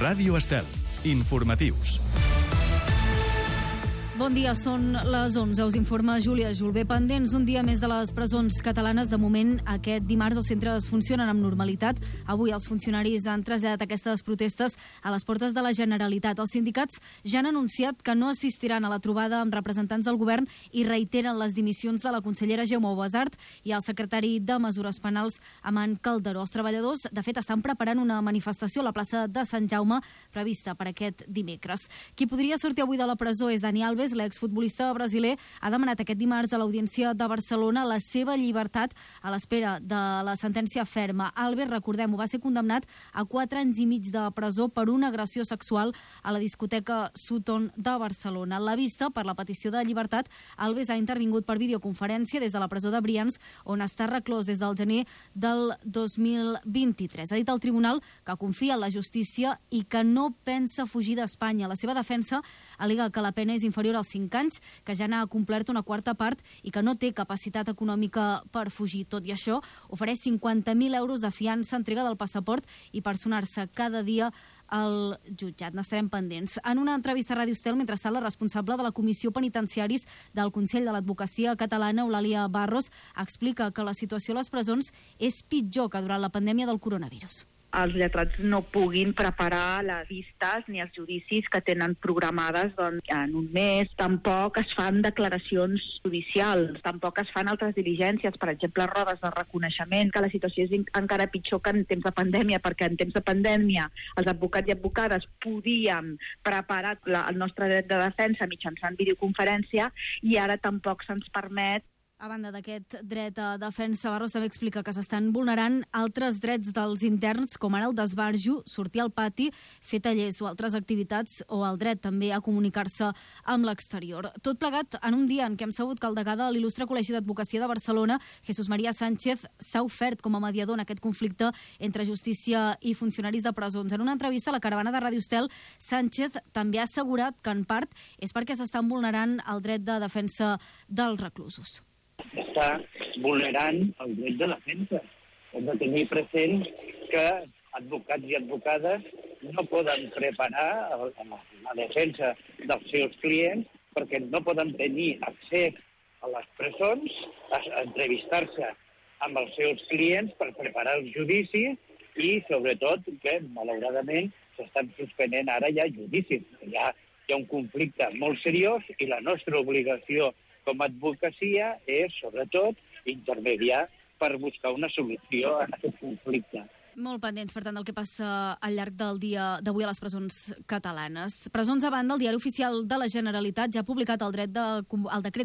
Ràdio Estel. Informatius. Bon dia, són les 11. Us informa Júlia Julbé. Pendents un dia més de les presons catalanes. De moment, aquest dimarts els centres funcionen amb normalitat. Avui els funcionaris han traslladat aquestes protestes a les portes de la Generalitat. Els sindicats ja han anunciat que no assistiran a la trobada amb representants del govern i reiteren les dimissions de la consellera Jaume Ubasart i el secretari de Mesures Penals, Aman Calderó. Els treballadors, de fet, estan preparant una manifestació a la plaça de Sant Jaume prevista per aquest dimecres. Qui podria sortir avui de la presó és Dani Alves. L'exfutbolista brasiler ha demanat aquest dimarts a l'Audiència de Barcelona la seva llibertat a l'espera de la sentència ferma. Alves, recordem-ho, va ser condemnat a 4 anys i mig de presó per una agressió sexual a la discoteca Sutton de Barcelona. A la vista, per la petició de llibertat, Alves ha intervingut per videoconferència des de la presó de Brians, on està reclòs des del gener del 2023. Ha dit al tribunal que confia en la justícia i que no pensa fugir d'Espanya. La seva defensa al·lega que la pena és inferior als 5 anys, que ja n'ha complert una quarta part i que no té capacitat econòmica per fugir. Tot i això, ofereix 50.000 euros de fiança, entrega del passaport i personar-se cada dia al jutjat. N'estarem pendents. En una entrevista a Ràdio Estel, mentrestant, la responsable de la Comissió Penitenciaris del Consell de l'Advocacia Catalana, Eulàlia Barros, explica que la situació a les presons és pitjor que durant la pandèmia del coronavirus. Els lletrats no puguin preparar les vistes ni els judicis que tenen programades en un mes. Tampoc es fan declaracions judicials, tampoc es fan altres diligències, per exemple, rodes de reconeixement, que la situació és encara pitjor que en temps de pandèmia, perquè en temps de pandèmia els advocats i advocades podíem preparar el nostre dret de defensa mitjançant videoconferència i ara tampoc se'ns permet. A banda d'aquest dret a defensa, Barros també explica que s'estan vulnerant altres drets dels interns, com ara el d'esbarjo, sortir al pati, fer tallers o altres activitats, o el dret també a comunicar-se amb l'exterior. Tot plegat en un dia en què hem sabut que el degà de l'Il·lustre Col·legi d'Advocacia de Barcelona, Jesús María Sánchez, s'ha ofert com a mediador en aquest conflicte entre justícia i funcionaris de presons. En una entrevista a la caravana de Ràdio Estel, Sánchez també ha assegurat que en part és perquè s'estan vulnerant el dret de defensa dels reclusos. Està vulnerant el dret de defensa. Hem de tenir present que advocats i advocades no poden preparar la defensa dels seus clients perquè no poden tenir accés a les presons, a entrevistar-se amb els seus clients per preparar els judicis i, sobretot, que, malauradament, s'estan suspenent ara ja judicis. Hi ha un conflicte molt seriós i la nostra obligació com a advocacia és, sobretot, intermediar per buscar una solució a aquest conflicte. Molt pendents, per tant, del que passa al llarg del dia d'avui a les presons catalanes. Presons a banda, el Diari Oficial de la Generalitat ja ha publicat el decret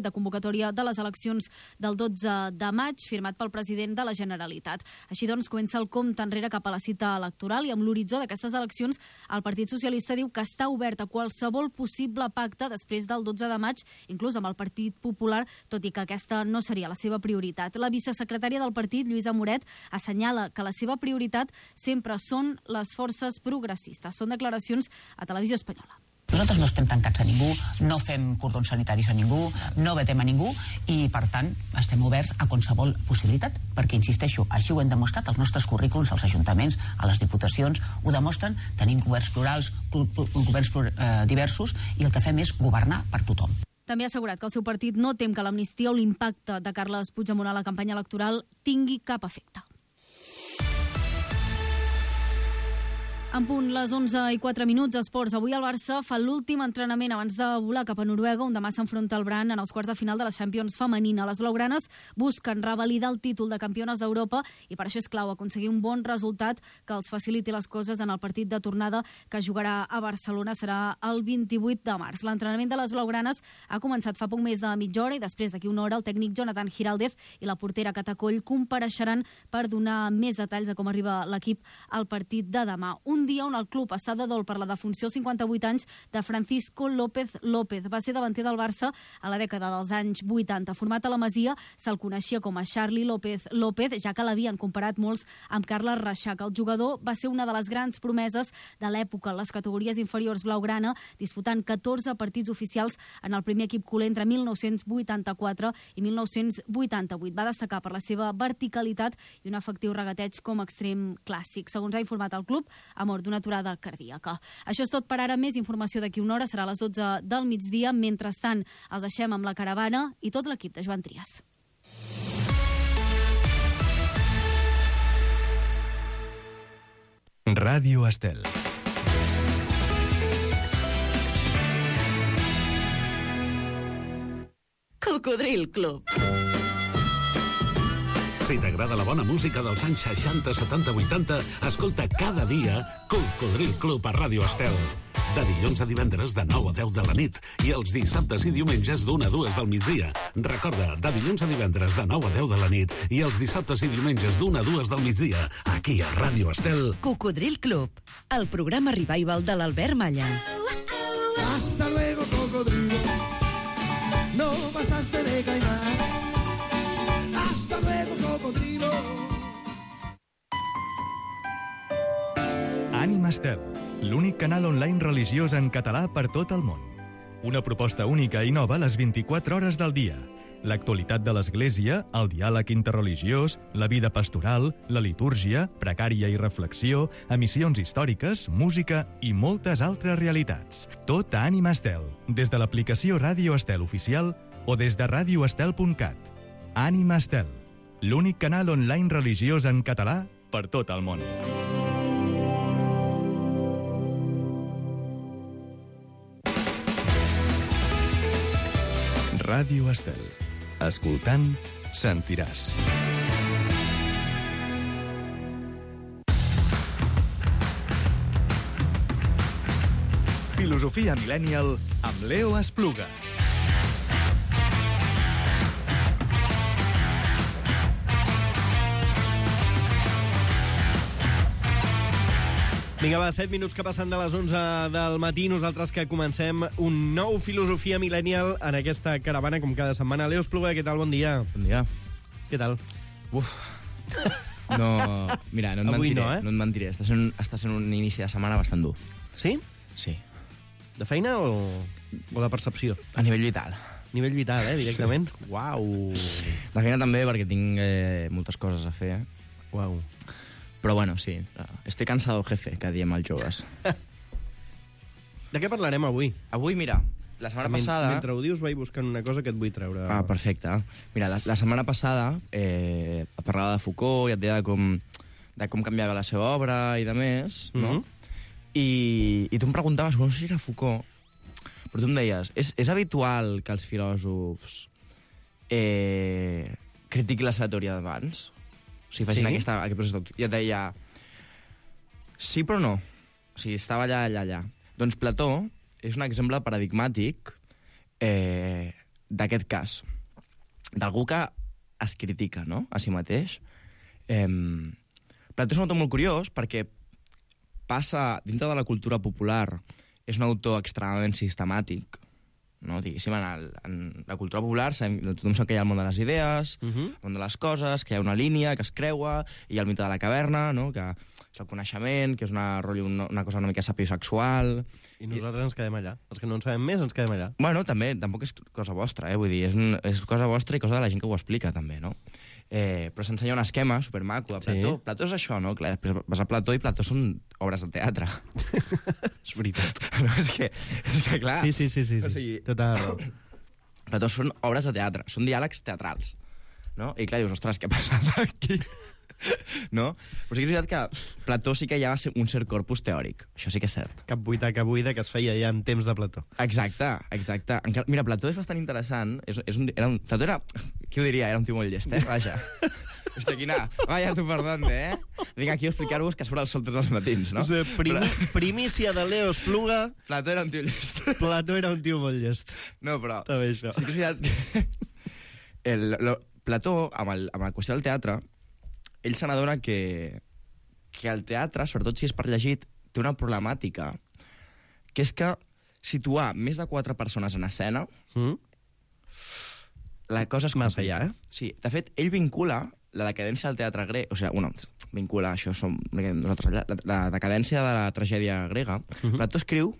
de convocatòria de les eleccions del 12 de maig, firmat pel president de la Generalitat. Així doncs, comença el compte enrere cap a la cita electoral i amb l'horitzó d'aquestes eleccions, el Partit Socialista diu que està obert a qualsevol possible pacte després del 12 de maig, inclús amb el Partit Popular, tot i que aquesta no seria la seva prioritat. La vicesecretària del partit, Lluïsa Moret, assenyala que la seva prioritat sempre són les forces progressistes. Són declaracions a Televisió Espanyola. Nosaltres no estem tancats a ningú, no fem cordons sanitaris a ningú, no vetem a ningú i, per tant, estem oberts a qualsevol possibilitat, perquè, insisteixo, així ho hem demostrat, els nostres currículums, als ajuntaments, a les diputacions, ho demostren, tenim governs plurals, governs diversos, i el que fem és governar per tothom. També ha assegurat que el seu partit no tem que l'amnistia o l'impacte de Carles Puigdemont a la campanya electoral tingui cap efecte. En punt, les 11:04, esports. Avui el Barça fa l'últim entrenament abans de volar cap a Noruega, on demà s'enfronta el Brann en els quarts de final de la Champions femenina. Les blaugranes busquen revalidar el títol de campiones d'Europa i per això és clau aconseguir un bon resultat que els faciliti les coses en el partit de tornada que jugarà a Barcelona. Serà el 28 de març. L'entrenament de les blaugranes ha començat fa poc més de mitja hora i després d'aquí una hora el tècnic Jonathan Giraldez i la portera Catacoll compareixeran per donar més detalls de com arriba l'equip al partit de demà. Un dia on el club està de dol per la defunció als 58 anys de Francisco López López. Va ser davanter del Barça a la dècada dels anys 80. Format a la Masia, se'l coneixia com a Charlie López López, ja que l'havien comparat molts amb Carles Reixac. El jugador va ser una de les grans promeses de l'època en les categories inferiors blaugrana, disputant 14 partits oficials en el primer equip culer entre 1984 i 1988. Va destacar per la seva verticalitat i un efectiu regateig com a extrem clàssic. Segons ha informat el club, amb mort d'una aturada cardíaca. Això és tot per ara. Més informació d'aquí una hora, serà a les 12 del migdia. Mentrestant, els deixem amb la caravana i tot l'equip de Joan Trias. Ràdio Estel. Cocodril Club. Si t'agrada la bona música dels anys 60, 70, 80, escolta cada dia Cocodril Club a Ràdio Estel. De dilluns a divendres de 9 a 10 de la nit i els dissabtes i diumenges d'1 a 2 del migdia. Recorda, de dilluns a divendres de 9 a 10 de la nit i els dissabtes i diumenges d'1 a 2 del migdia, aquí a Ràdio Estel. Cocodril Club, el programa revival de l'Albert Malla. Hasta luego, cocodrilo. No pasaste de caimán. Hasta luego, cocodrilo. Ànima Estel, l'únic canal online religiós en català per tot el món. Una proposta única i nova a les 24 hores del dia. L'actualitat de l'Església, el diàleg interreligiós, la vida pastoral, la litúrgia, precària i reflexió, emissions històriques, música i moltes altres realitats. Tot a Ànima Estel, des de l'aplicació Ràdio Estel oficial o des de radioestel.cat. Ànima Estel, l'únic canal online religiós en català per tot el món. Ràdio Estel. Escoltant, sentiràs. Filosofia Millennial amb Leo Espluga. Vinga, va, 7 minuts que passen de les 11 del matí. Nosaltres que comencem un nou Filosofia Millennial en aquesta caravana, com cada setmana. Leo Espluga, què tal? Bon dia. Bon dia. Què tal? Uf. No, mira, no et Avui mentiré. no, eh? No et mentiré. Està sent un inici de setmana bastant dur. Sí? Sí. De feina o de percepció? A nivell vital. Nivell vital, directament? Sí. Uau. De feina també, perquè tinc moltes coses a fer. Uau. Però bueno, sí. Estoy cansado, jefe, que diem els joves. De què parlarem avui? Avui, mira, la setmana passada... Mentre ho dius, vaig buscant una cosa que et vull treure. Ah, perfecte. Mira, la setmana passada parlava de Foucault i et deia de com canviava la seva obra i de més, no? I tu em preguntaves, no sé si era Foucault, però tu em deies, és habitual que els filòsofs critiquin la seva teoria d'abans? O sigui, facin aquest procés. I et deia, sí però no. O sigui, estava allà. Doncs Plató és un exemple paradigmàtic d'aquest cas. D'algú que es critica, no?, a si mateix. Plató és un autor molt curiós perquè passa, dintre de la cultura popular, és un autor extremadament sistemàtic, no? Diguéssim, en la cultura popular tothom sap que hi ha el món de les idees, el món de les coses, que hi ha una línia que es creua, i hi ha el mite de la caverna, no?, que és el coneixement, que és una cosa una mica sapiosexual. I nosaltres ens quedem allà. Els que no en sabem més ens quedem allà. Bueno, també, tampoc és cosa vostra, vull dir, és cosa vostra i cosa de la gent que ho explica, també, no? Però s'ensenya un esquema supermaco de Plató. Sí. Plató és això, no? Clar, després vas a Plató i Plató són obres de teatre. És veritat. No, és que clar... Sí. O sigui, tota raó. Plató són obres de teatre, són diàlegs teatrals, no? I clar, dius, ostres, què ha passat aquí? No? Però sí que és veritat que Plató sí que hi ha un cert corpus teòric. Això sí que és cert. Cap buida que es feia ja en temps de Plató. Exacte. Mira, Plató és bastant interessant. Plató era... Qui ho diria? Era un tio molt llest, Vaja. Hòstia, quina... Vaja, tu perdón, Vinc aquí a explicar-vos que surt el sol tots els matins, no? Primícia de Leo Espluga. Plató era un tio llest. Plató era un tio molt llest. No, però... També això. Sí que és veritat que... Plató, amb la qüestió del teatre, ell se n'adona que el teatre, sobretot si és per llegit, té una problemàtica, que és que situar més de 4 persones en escena, la cosa és massa allà, Sí, de fet, ell vincula la decadència del teatre grec, o sigui, vincula, això som nosaltres, la decadència de la tragèdia grega. Plató escriu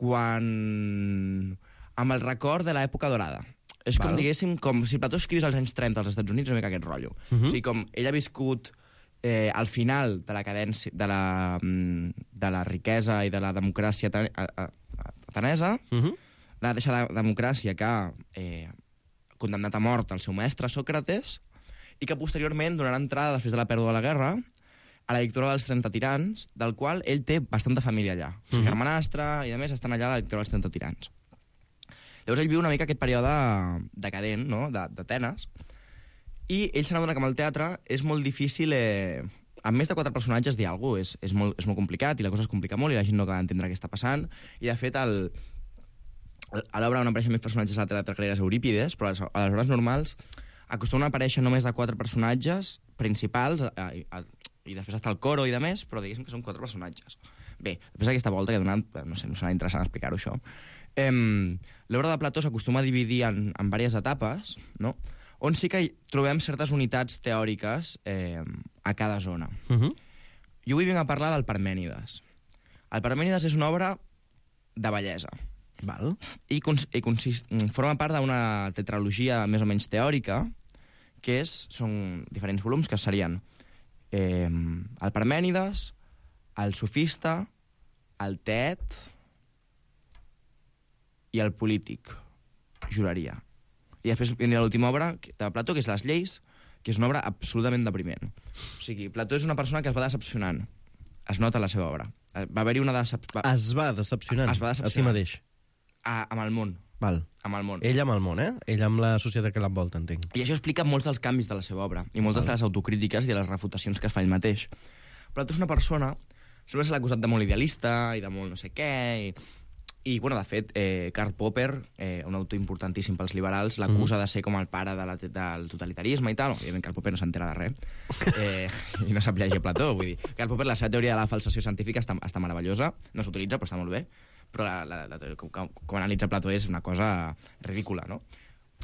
amb el record de l'època dorada. És com, diguéssim, com si Plató escrivís als anys 30 als Estats Units, una mica aquest rotllo. O sigui, com ell ha viscut al final de la cadència, de la riquesa i de la democràcia atenesa, la deixa de democràcia que ha condemnat a mort el seu mestre Sòcrates i que posteriorment donarà entrada, després de la pèrdua de la guerra, a la dictadura dels 30 tirans, del qual ell té bastanta família allà. El seu germanastre i, a més, estan allà a la dictadura dels 30 tirans. Llavors ell viu una mica aquest període decadent, no?, d'Atenes, i ell se n'adona que amb el teatre és molt difícil... amb més de 4 personatges dir alguna cosa és molt complicat, i la cosa es complica molt, i la gent no acaba d'entendre què està passant, i de fet a l'obra on apareixen més personatges a la teatre grega és Eurípides, però a les obres normals acostumen a aparèixer només de 4 personatges principals, i després està el coro i de més, però diguéssim que són 4 personatges. Bé, després d'aquesta volta que he donat, no sé, no serà interessant explicar-ho, això. L'obra de Plató s'acostuma a dividir en diverses etapes, no?, on sí que trobem certes unitats teòriques a cada zona. Jo avui vinc a parlar del Parmènides. El Parmènides és una obra de bellesa. Val. I forma part d'una tetralogia més o menys teòrica, que són diferents volums, que serien el Parmènides, el Sofista, el Teet i el Polític, juraria. I després vindrà l'última obra de Plató, que és Les lleis, que és una obra absolutament depriment. O sigui, Plató és una persona que es va decepcionant. Es nota la seva obra. Va haver-hi una decepció... Es va decepcionant a si mateix. Amb el món. Val. Amb el món. Ell amb el món, Ell amb la societat que l'envolta, entenc. I això explica molts dels canvis de la seva obra, i moltes de les autocrítiques i de les refutacions que es fa ell mateix. Plató és una persona... Sempre se l'ha acusat de molt idealista i de molt no sé què, i bueno, de fet, Karl Popper, un autor importantíssim pels liberals, l'acusa de ser com el pare del totalitarisme i tal. Òbviament, Karl Popper no s'entera de res. I no sap llegir Plató, vull dir. Karl Popper, la seva teoria de la falsació científica està meravellosa, no s'utilitza, però està molt bé. Però com analitza Plató és una cosa ridícula, no?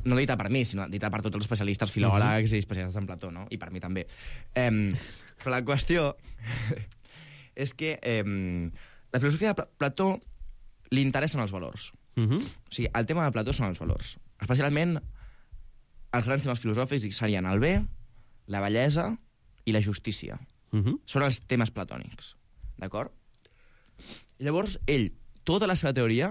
No dita per mi, sinó dita per tots els especialistes, filòlegs i especialistes en Plató, no? I per mi també. Però la qüestió és que la filosofia de Plató li interessen els valors. O sigui, el tema de Plató són els valors. Especialment, els grans temes filosòfics serien el bé, la bellesa i la justícia. Són els temes platònics. D'acord? Llavors, ell, tota la seva teoria,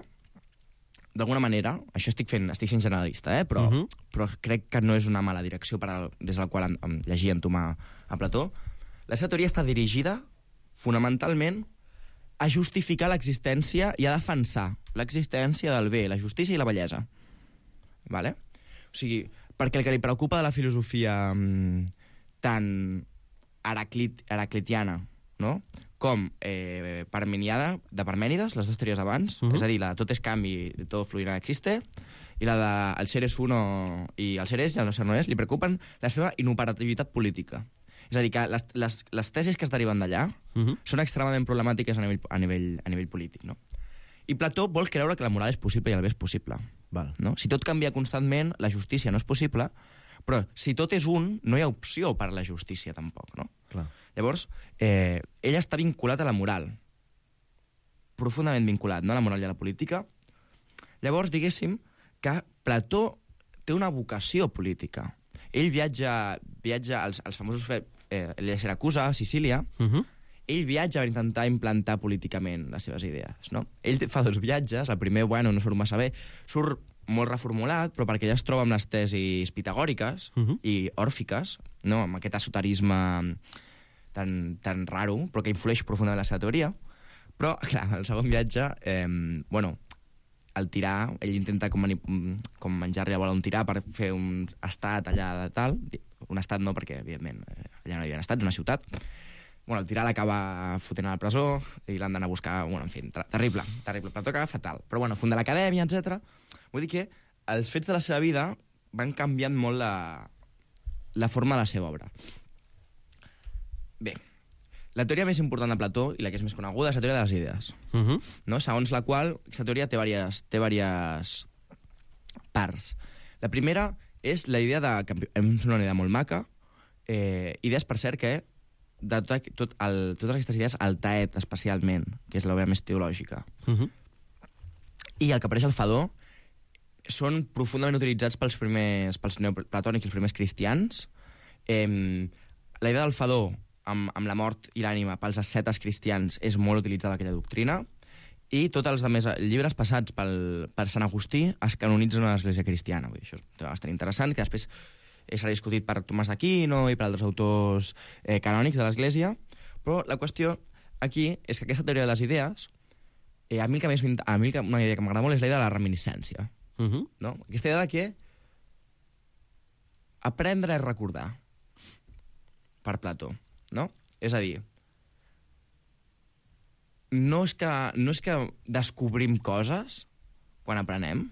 d'alguna manera, això estic sent generalista, però crec que no és una mala direcció des de la qual llegir i entomar a Plató, la seva teoria està dirigida fonamentalment a justificar l'existència i a defensar l'existència del bé, la justícia i la bellesa. Vale? O sigui, perquè el que li preocupa de la filosofia tan heraclitiana, no?, com parmeniada, de Parmènides, les dues teories abans, és a dir, la de tot és canvi, tot fluirà existe, i la de el ser és uno i el ser és i el no ser no és, li preocupen la seva inoperativitat política. És a dir, que les tesis que es deriven d'allà són extremadament problemàtiques a nivell polític, no? I Plató vol creure que la moral és possible i el bé és possible. Val. No? Si tot canvia constantment, la justícia no és possible, però si tot és un, no hi ha opció per a la justícia, tampoc, no? Clar. Llavors, ell està vinculat a la moral, profundament vinculat, no?, a la moral i a la política. Llavors, diguéssim que Plató té una vocació política. Ell viatja als famosos... ell és Siracusa, Sicília. Ell viatja per intentar implantar políticament les seves idees, no? Ell fa 2 viatges. El primer, bueno, no surt massa bé. Surt molt reformulat, però perquè ja es troba amb les tesis pitagòriques i òrfiques, no?, amb aquest esoterisme tan raro, però que influeix profundament en la seva teoria. Però, clar, el segon viatge, el tirà, ell intenta com menjar-li a bola un tirà per fer un estat allà de tal. Un estat no, perquè, evidentment, allà no hi havia estat, és una ciutat. El tirà l'acaba fotent a la presó i l'han d'anar a buscar... En fi, terrible. Plató acaba fatal. Però, funda l'acadèmia, etc. Vull dir que els fets de la seva vida van canviant molt la forma de la seva obra. Bé, la teoria més important de Plató, i la que és més coneguda, és la teoria de les idees. No? Segons la qual, aquesta teoria té diverses parts. La primera és la idea que és una idea molt maca, idees, per cert, que de totes aquestes idees, el Taet, especialment, que és l'obra més teològica, i el que apareix al Fedó, són profundament utilitzats pels neoplatònics i els primers cristians. La idea del Fedó amb la mort i l'ànima pels ascetes cristians és molt utilitzada aquella doctrina, i tots els altres llibres passats per Sant Agustí es canonitzen a l'Església cristiana. Vull dir, això és bastant interessant, que després serà discutit per Tomàs d'Aquino i per altres autors canònics de l'Església, però la qüestió aquí és que aquesta teoria de les idees, a mi una idea que m'agrada molt és la idea de la reminiscència. No? Aquesta idea de que aprendre és recordar, per Plató, no? És a dir, no és que descobrim coses quan aprenem,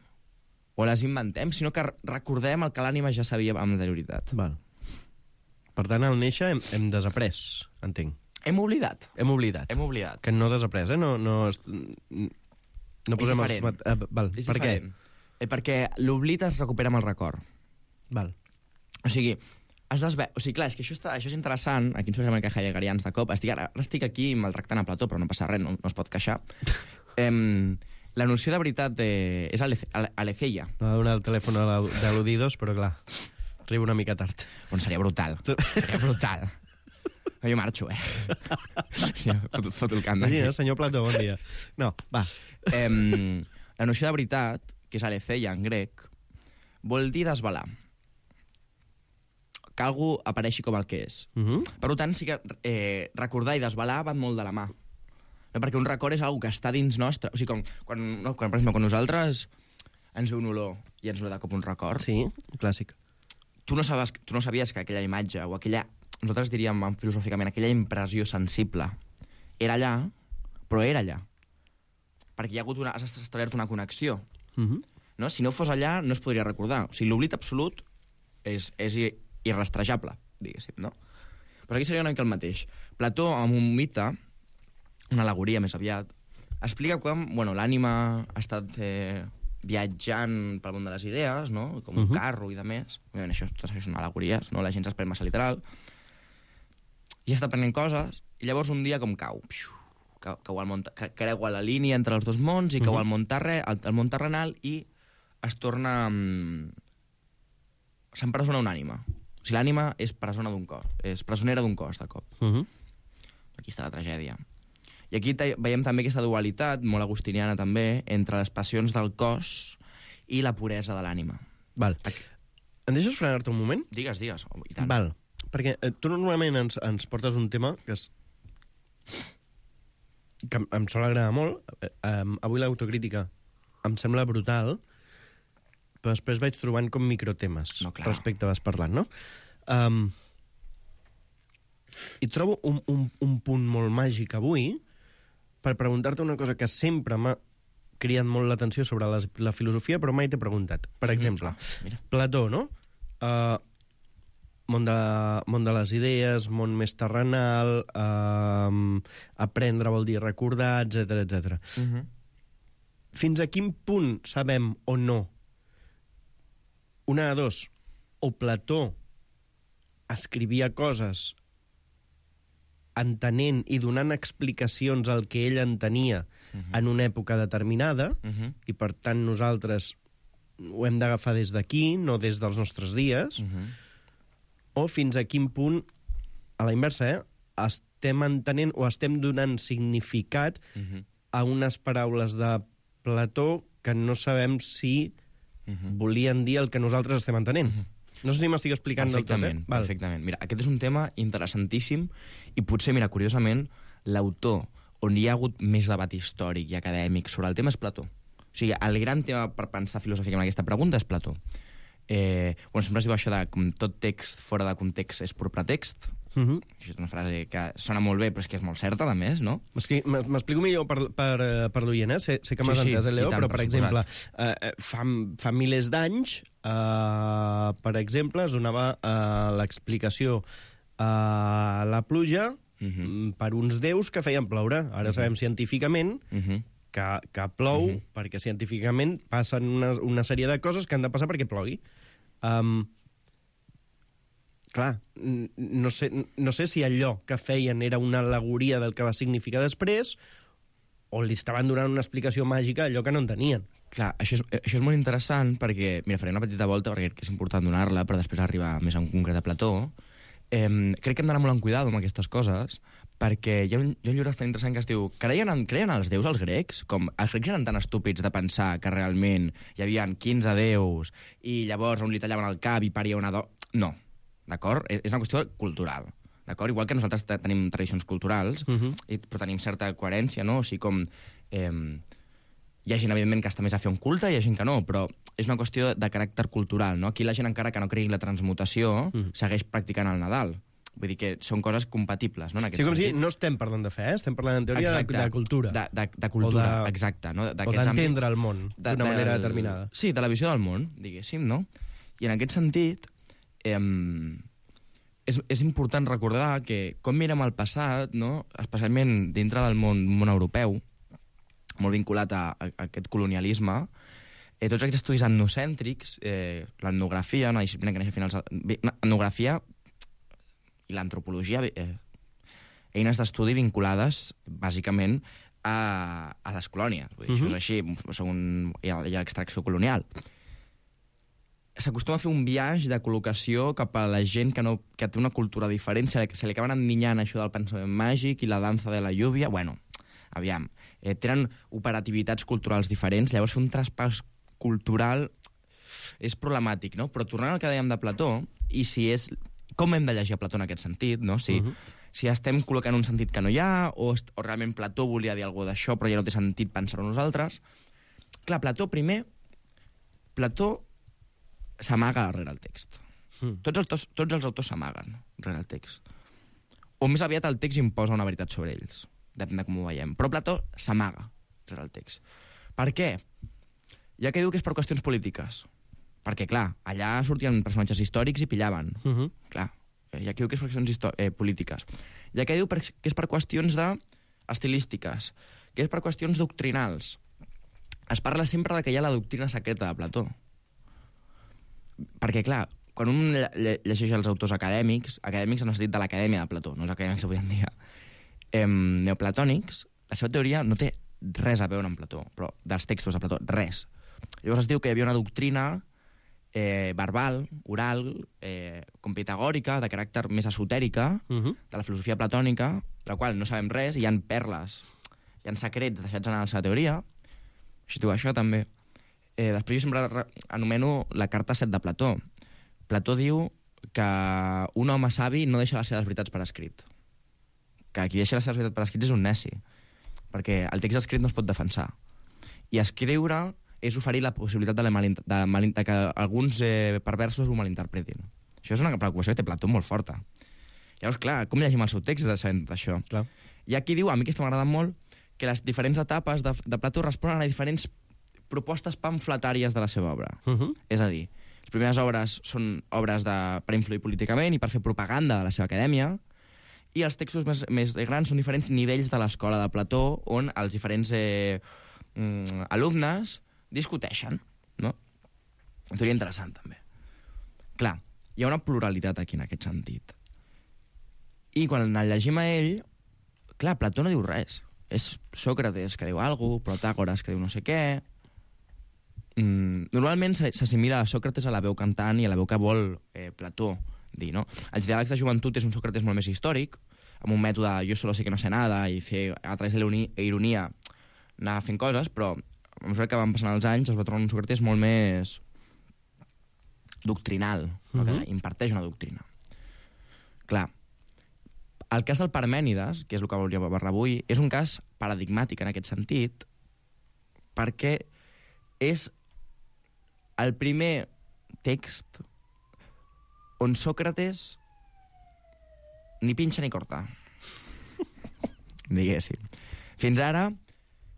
o les inventem, sinó que recordem el que l'ànima ja sabia amb anterioritat. Val. Per tant, al néixer hem desaprès, entenc. Hem oblidat. Que no desaprès, No posem és diferent. Val. És per diferent. què? Perquè l'oblit es recupera amb el record. Val. O sigui, clar, és que això és interessant, aquí ens posem una mica heideggerians de cop, ara estic aquí maltractant a Plató, però no passa res, no es pot queixar. La noció de veritat és aletheia. No ha donat el telèfon de l'Udidos, però clar, arriba una mica tard. Bueno, seria brutal. Seria brutal. Jo marxo, Sí, foto el camp. Imagina, senyor Plató, bon dia. No, va. La noció de veritat, que és aletheia en grec, vol dir desvelar. Que algú apareixi com el que és. Per tant, sí que recordar i desvelar van molt de la mà. No, perquè un record és algo que està dins nostre. O sigui, quan nosaltres ens ve un olor i ens ve de cop un record... Sí, clàssic. Tu no sabies que aquella imatge o aquella... Nosaltres diríem filosòficament aquella impressió sensible era allà, però era allà. Perquè has establert una connexió. No? Si no fos allà, no es podria recordar. O sigui, l'oblit absolut és irrastrejable, diguéssim, no? Però aquí seria una mica el mateix. Plató, amb un mite, una al·legoria més aviat, explica com l'ànima ha estat viatjant pel món de les idees, no? Com un carro i de més. Tot això són al·legories, no? La gent s'espera massa literal. I està aprenent coses, i llavors un dia com cau. Creua la línia entre els dos mons i cau al món terrenal i es torna... S'empresona una ànima. O sigui, l'ànima és presonera d'un cos, de cop. Aquí està la tragèdia. I aquí veiem també aquesta dualitat, molt agustiniana també, entre les passions del cos i la puresa de l'ànima. Val. Em deixes frenar-te un moment? Digues, i tant. Val. Perquè tu normalment ens portes un tema que em sol agradar molt. Avui l'autocrítica em sembla brutal, però després vaig trobant com microtemes respecte a vas parlant, no? I trobo un punt molt màgic avui per preguntar-te una cosa que sempre m'ha cridat molt l'atenció sobre la filosofia, però mai t'he preguntat. Per exemple, Plató, no? Món de les idees, món més terrenal, aprendre vol dir recordar, etc. Fins a quin punt sabem o no? Una de dos, o Plató escrivia coses entenent i donant explicacions al que ell entenia en una època determinada, i per tant nosaltres ho hem d'agafar des d'aquí, no des dels nostres dies, o fins a quin punt, a la inversa, estem entenent o estem donant significat a unes paraules de Plató que no sabem si volien dir el que nosaltres estem entenent. No sé si m'estic explicant del tot, Perfectament. Mira, aquest és un tema interessantíssim i potser, mira, curiosament, l'autor on hi ha hagut més debat històric i acadèmic sobre el tema és Plató. O sigui, el gran tema per pensar filosòficament aquesta pregunta és Plató. Sempre es diu això de com tot text fora de context és pur pretext. Això és una frase que sona molt bé, però és que és molt certa, a més, no? M'explico millor per l'oient, Sé que m'has entès, Leo, però, per exemple, fa milers d'anys, per exemple, es donava l'explicació a la pluja per uns déus que feien ploure. Ara sabem científicament que plou perquè científicament passen una sèrie de coses que han de passar perquè plogui. Clar, no sé si allò que feien era una al·legoria del que va significar després o li estaven donant una explicació màgica a allò que no entenien. Clar, això és molt interessant perquè, mira, faré una petita volta perquè és important donar-la, però després arribar més en concret a Plató. crec que hem d'anar molt en cuidado amb aquestes coses, perquè hi ha un llibre bastant interessant que es diu creien als déus els grecs? Com els grecs eren tan estúpids de pensar que realment hi havia 15 déus i llavors on li tallaven el cap i paria una dona... No, d'acord? És una qüestió cultural, d'acord? Igual que nosaltres tenim tradicions culturals, però tenim certa coherència, no? O sigui, com... hi ha gent, evidentment, que està més a fer un culte i hi ha gent que no, però és una qüestió de caràcter cultural, no? Aquí la gent, encara que no cregui la transmutació, segueix practicant el Nadal. Vull dir que són coses compatibles, no?, en aquest sentit. Sí, com si no estem parlant de fe, estem parlant en teoria de cultura. De cultura, exacte. No? O d'entendre el món d'una manera determinada. Sí, de la visió del món, diguéssim, no? I en aquest sentit, és important recordar que com mirem el passat, no?, especialment dintre del món europeu, molt vinculat a aquest colonialisme, tots aquests estudis etnocèntrics, l'etnografia, una disciplina que neix a finals... Etnografia i l'antropologia, eines d'estudi vinculades, bàsicament, a les colònies. Vull dir, això és així, hi ha extracció colonial. S'acostuma a fer un viatge de col·locació cap a la gent que té una cultura diferent, se li acaben endinyant això del pensament màgic i la dansa de la lluvia. Bueno, aviam, tenen operativitats culturals diferents, llavors fer un traspàs cultural és problemàtic, no? Però tornant al que dèiem de Plató, i si és... Com hem de llegir a Plató en aquest sentit, no? Si estem col·locant un sentit que no hi ha, o realment Plató volia dir alguna cosa d'això, però ja no té sentit pensar-ho nosaltres. Clar, Plató s'amaga darrere el text. Tots els autors s'amaguen darrere el text. O més aviat el text imposa una veritat sobre ells, depèn de com ho veiem. Però Plató s'amaga darrere el text. Per què? Ja que diu que és per qüestions polítiques. Perquè, clar, allà sortien personatges històrics i pillaven. Clar, ja que diu que és per qüestions polítiques. Ja que diu que és per qüestions estilístiques, que és per qüestions doctrinals. Es parla sempre que hi ha la doctrina secreta de Plató. Perquè, clar, quan un llegeix els autors acadèmics en el sentit de l'acadèmia de Plató, no els acadèmics avui en dia, neoplatònics, la seva teoria no té res a veure amb Plató, però dels textos de Plató, res. Llavors es diu que hi havia una doctrina verbal, oral, com pitagòrica, de caràcter més esotèrica, de la filosofia platònica, de la qual no sabem res, i hi ha perles, hi ha secrets deixats en la seva teoria. Així diu això, també. Després jo sempre anomeno la carta 7 de Plató. Plató diu que un home savi no deixa les seves veritats per escrit. Que qui deixa les seves veritats per escrit és un neci, perquè el text escrit no es pot defensar. I escriure és oferir la possibilitat de que alguns perversos ho malinterpretin. Això és una preocupació que té Plató molt forta. Llavors, clar, com llegim el seu text d'això? I aquí diu, a mi aquesta m'agrada molt, que les diferents etapes de Plató responen a diferents propostes pamfletàries de la seva obra. És a dir, les primeres obres són obres per influir políticament i per fer propaganda de la seva acadèmia, i els textos més grans són diferents nivells de l'escola de Plató, on els diferents alumnes discuteixen, no? Una teoria interessant, també. Clar, hi ha una pluralitat aquí en aquest sentit. I quan el llegim a ell, clar, Plató no diu res. És Sòcrates que diu alguna cosa, Protàgores que diu no sé què. Normalment s'assimila a Sòcrates a la veu cantant i a la veu que vol Plató dir, no? Els diàlegs de joventut és un Sòcrates molt més històric, amb un mètode jo solo sé que no sé nada, i fer a través de l'ironia anar fent coses, però a mesura que van passant els anys es va tornar un Sòcrates molt més doctrinal, que imparteix una doctrina. Clar, el cas del Parmènides, que és el que volia parlar avui, és un cas paradigmàtic en aquest sentit, perquè és el primer text on Sòcrates ni pinxa ni corta. Diguéssim. Fins ara,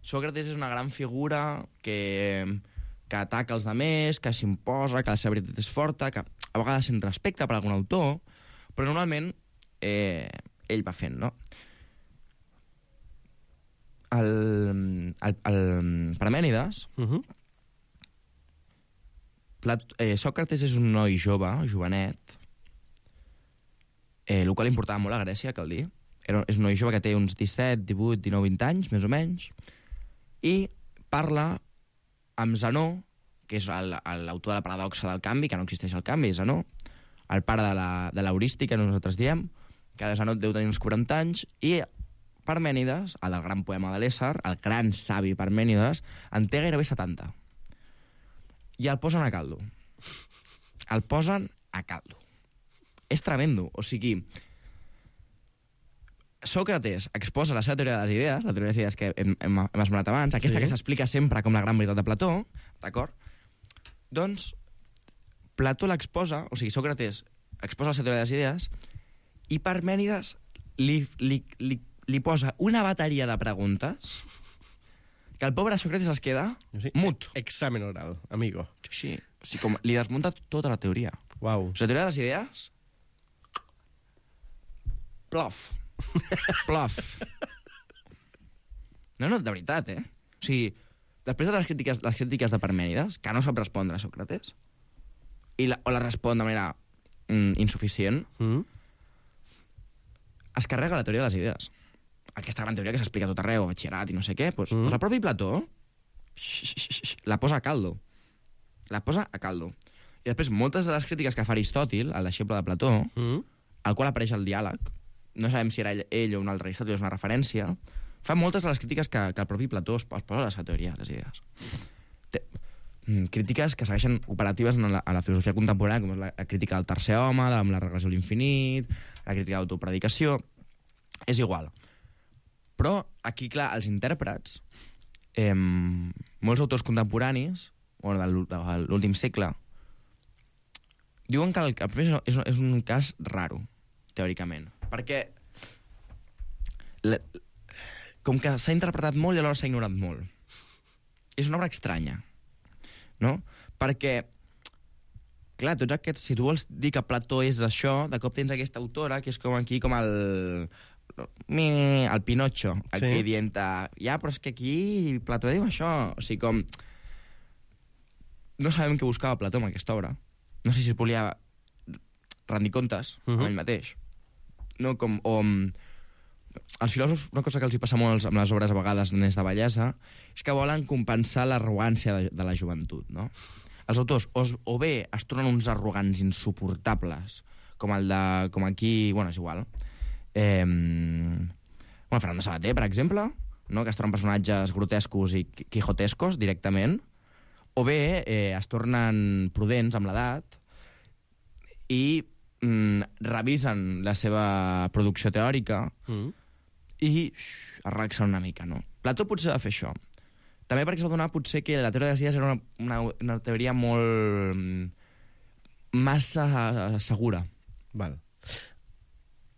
Sòcrates és una gran figura que ataca els altres, que s'imposa, que la seva veritat és forta, que a vegades se'n respecta per algun autor, però normalment ell va fent, no? El Parmènides, Sòcrates és un noi jove, jovenet, el qual importava molt a Grècia, cal dir. És un noi jove que té uns 17, 18, 19, 20 anys, més o menys, i parla amb Zenó, que és l'autor de la paradoxa del canvi, que no existeix el canvi, Zenó, el pare de l'heurística, nosaltres diem, que Zenot deu tenir uns 40 anys, i Parmènides, el del gran poema de l'Ésser, el gran savi Parmènides, en té gairebé 70. I el posen a caldo. El posen a caldo. És tremendo. O sigui, Sòcrates exposa la seva teoria de les idees, la teoria de les idees que hem esmenat abans, aquesta que s'explica sempre com la gran veritat de Plató, d'acord? Doncs Plató l'exposa, o sigui, Sòcrates exposa la seva teoria de les idees, i Parmènides li posa una bateria de preguntes que el pobre Sòcrates es queda mut. Examen oral, amigo. Sí, o sigui, com li desmunta tota la teoria. Uau. O sigui, la teoria de les idees... Plof. Plof. No, de veritat, O sigui, després de les crítiques de Parmènides, que no sap respondre a Sòcrates, o la respon de manera insuficient, es carrega la teoria de les idees. Aquesta gran teoria que s'explica a tot arreu, batxillerat i no sé què, doncs el propi Plató la posa a caldo. La posa a caldo. I després, moltes de les crítiques que fa Aristòtil, el deixeble de Plató, al qual apareix el diàleg, no sabem si era ell o un altre Aristòtil, és una referència, fa moltes de les crítiques que el propi Plató es posa a la seva teoria, les idees. Crítiques que segueixen operatives en la filosofia contemporània, com és la crítica del tercer home, amb la regressió a l'infinit, la crítica d'autopredicació... És igual. Però aquí, clar, els intèrprets, molts autors contemporanis, o de l'últim segle, diuen que el primer és un cas raro, teòricament. Perquè com que s'ha interpretat molt i alhora s'ha ignorat molt. És una obra estranya, no? Perquè, clar, tots aquests, si tu vols dir que Plató és això, de cop tens aquesta autora que és com aquí, com el Pinocho, aquí dient, ja, però és que aquí Plató diu això. O sigui, com... No sabem què buscava Plató amb aquesta obra. No sé si es volia rendir comptes amb ell mateix. No, com... Els filòsofs, una cosa que els hi passa molt amb les obres a vegades més de bellesa, és que volen compensar l'arrogància de la joventut, no? Els autors o bé es tornen uns arrogants insuportables, com aquí, bueno, és igual. Fernando Savater, per exemple, no? Que es tornen personatges grotescos i quijotescos directament, o bé es tornen prudents amb l'edat i revisen la seva producció teòrica i es relaxen una mica, no? Plató potser va fer això. També perquè es va donar potser que la teoria de les idees era una teoria molt... massa segura. Val.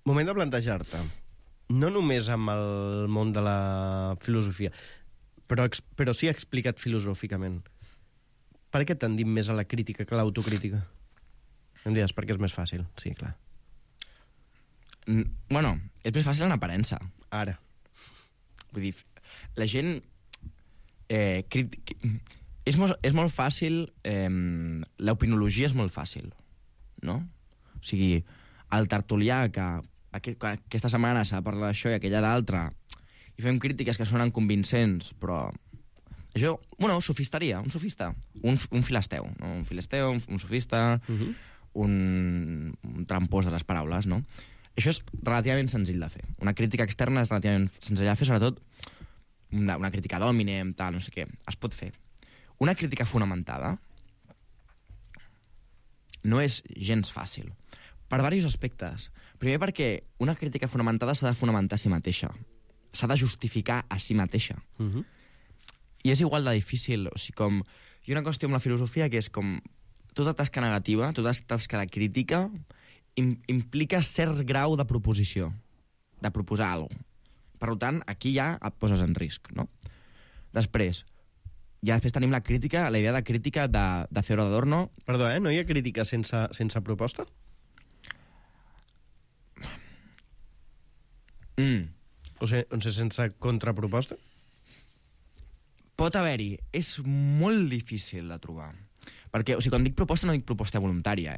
Moment de plantejar-te. No només amb el món de la filosofia, però sí explicat filosòficament. Per què tendim més a la crítica que a l'autocrítica? Em diràs, perquè és més fàcil. Sí, clar. Bueno, és més fàcil en aparença. Ara. Vull dir, la gent... és molt fàcil... l'opinologia és molt fàcil, no? O sigui, el tertulià que aquesta setmana s'ha de parlar d'això i aquella d'altra, i fem crítiques que sonen convincents, però... Això, bueno, sofisteria, un sofista, un filisteu, no? Un filisteu, un sofista, un trampós de les paraules, no? Això és relativament senzill de fer. Una crítica externa és relativament senzill de fer, sobretot una crítica d'hominem, tal, no sé què. Es pot fer. Una crítica fonamentada no és gens fàcil. Per diversos aspectes. Primer perquè una crítica fonamentada s'ha de fonamentar a si mateixa. S'ha de justificar a si mateixa. I és igual de difícil. O sigui, com... Hi ha una qüestió amb la filosofia que és com... Tota tasca negativa, tota tasca de crítica, implica cert grau de proposició. De proposar alguna cosa. Per tant, aquí ja et poses en risc, no? Després, ja després tenim la crítica, la idea de crítica de Theodor Adorno. Perdó, no hi ha crítica sense proposta? O sigui, sense contraproposta? Pot haver-hi. És molt difícil de trobar. Perquè, o sigui, quan dic proposta, no dic proposta voluntària,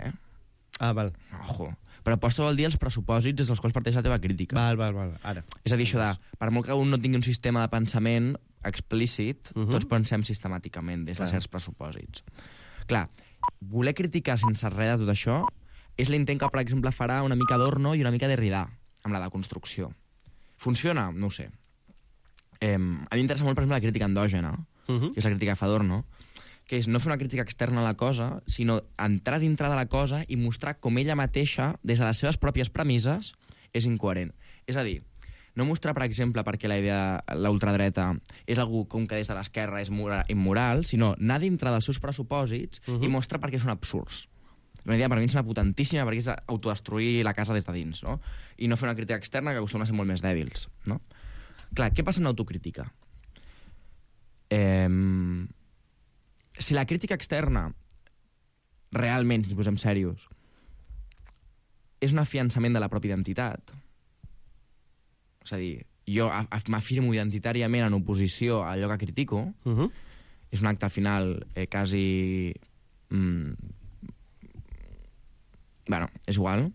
Ah, val. Ojo. Proposta vol dir els pressupòsits des dels quals parteix la teva crítica. Val. Ara. És a dir, això de, per molt que un no tingui un sistema de pensament explícit, tots pensem sistemàticament des de certs pressupòsits. Clar, voler criticar sense res de tot això és l'intent que, per exemple, farà una mica Adorno i una mica Derrida, amb la deconstrucció. Funciona? No ho sé. A mi m'interessa molt, per exemple, la crítica endògena, que és la crítica que fa Adorno, que és no fer una crítica externa a la cosa, sinó entrar dintre de la cosa i mostrar com ella mateixa, des de les seves pròpies premisses, és incoherent. És a dir, no mostrar, per exemple, perquè la idea l'ultradreta és algú com que des de l'esquerra és immoral, sinó anar dintre dels seus pressupòsits i mostrar per què són absurds. Una idea per mi és una potentíssima perquè és autodestruir la casa des de dins, no? I no fer una crítica externa que acostuma a ser molt més dèbils, no? Clar, què passa en l'autocrítica? Si la crítica externa realment, si ens posem serios, és un afiançament de la pròpia identitat, és a dir, jo m'afirmo identitàriament en oposició a allò que critico, és un acte al final quasi... Bueno, és igual.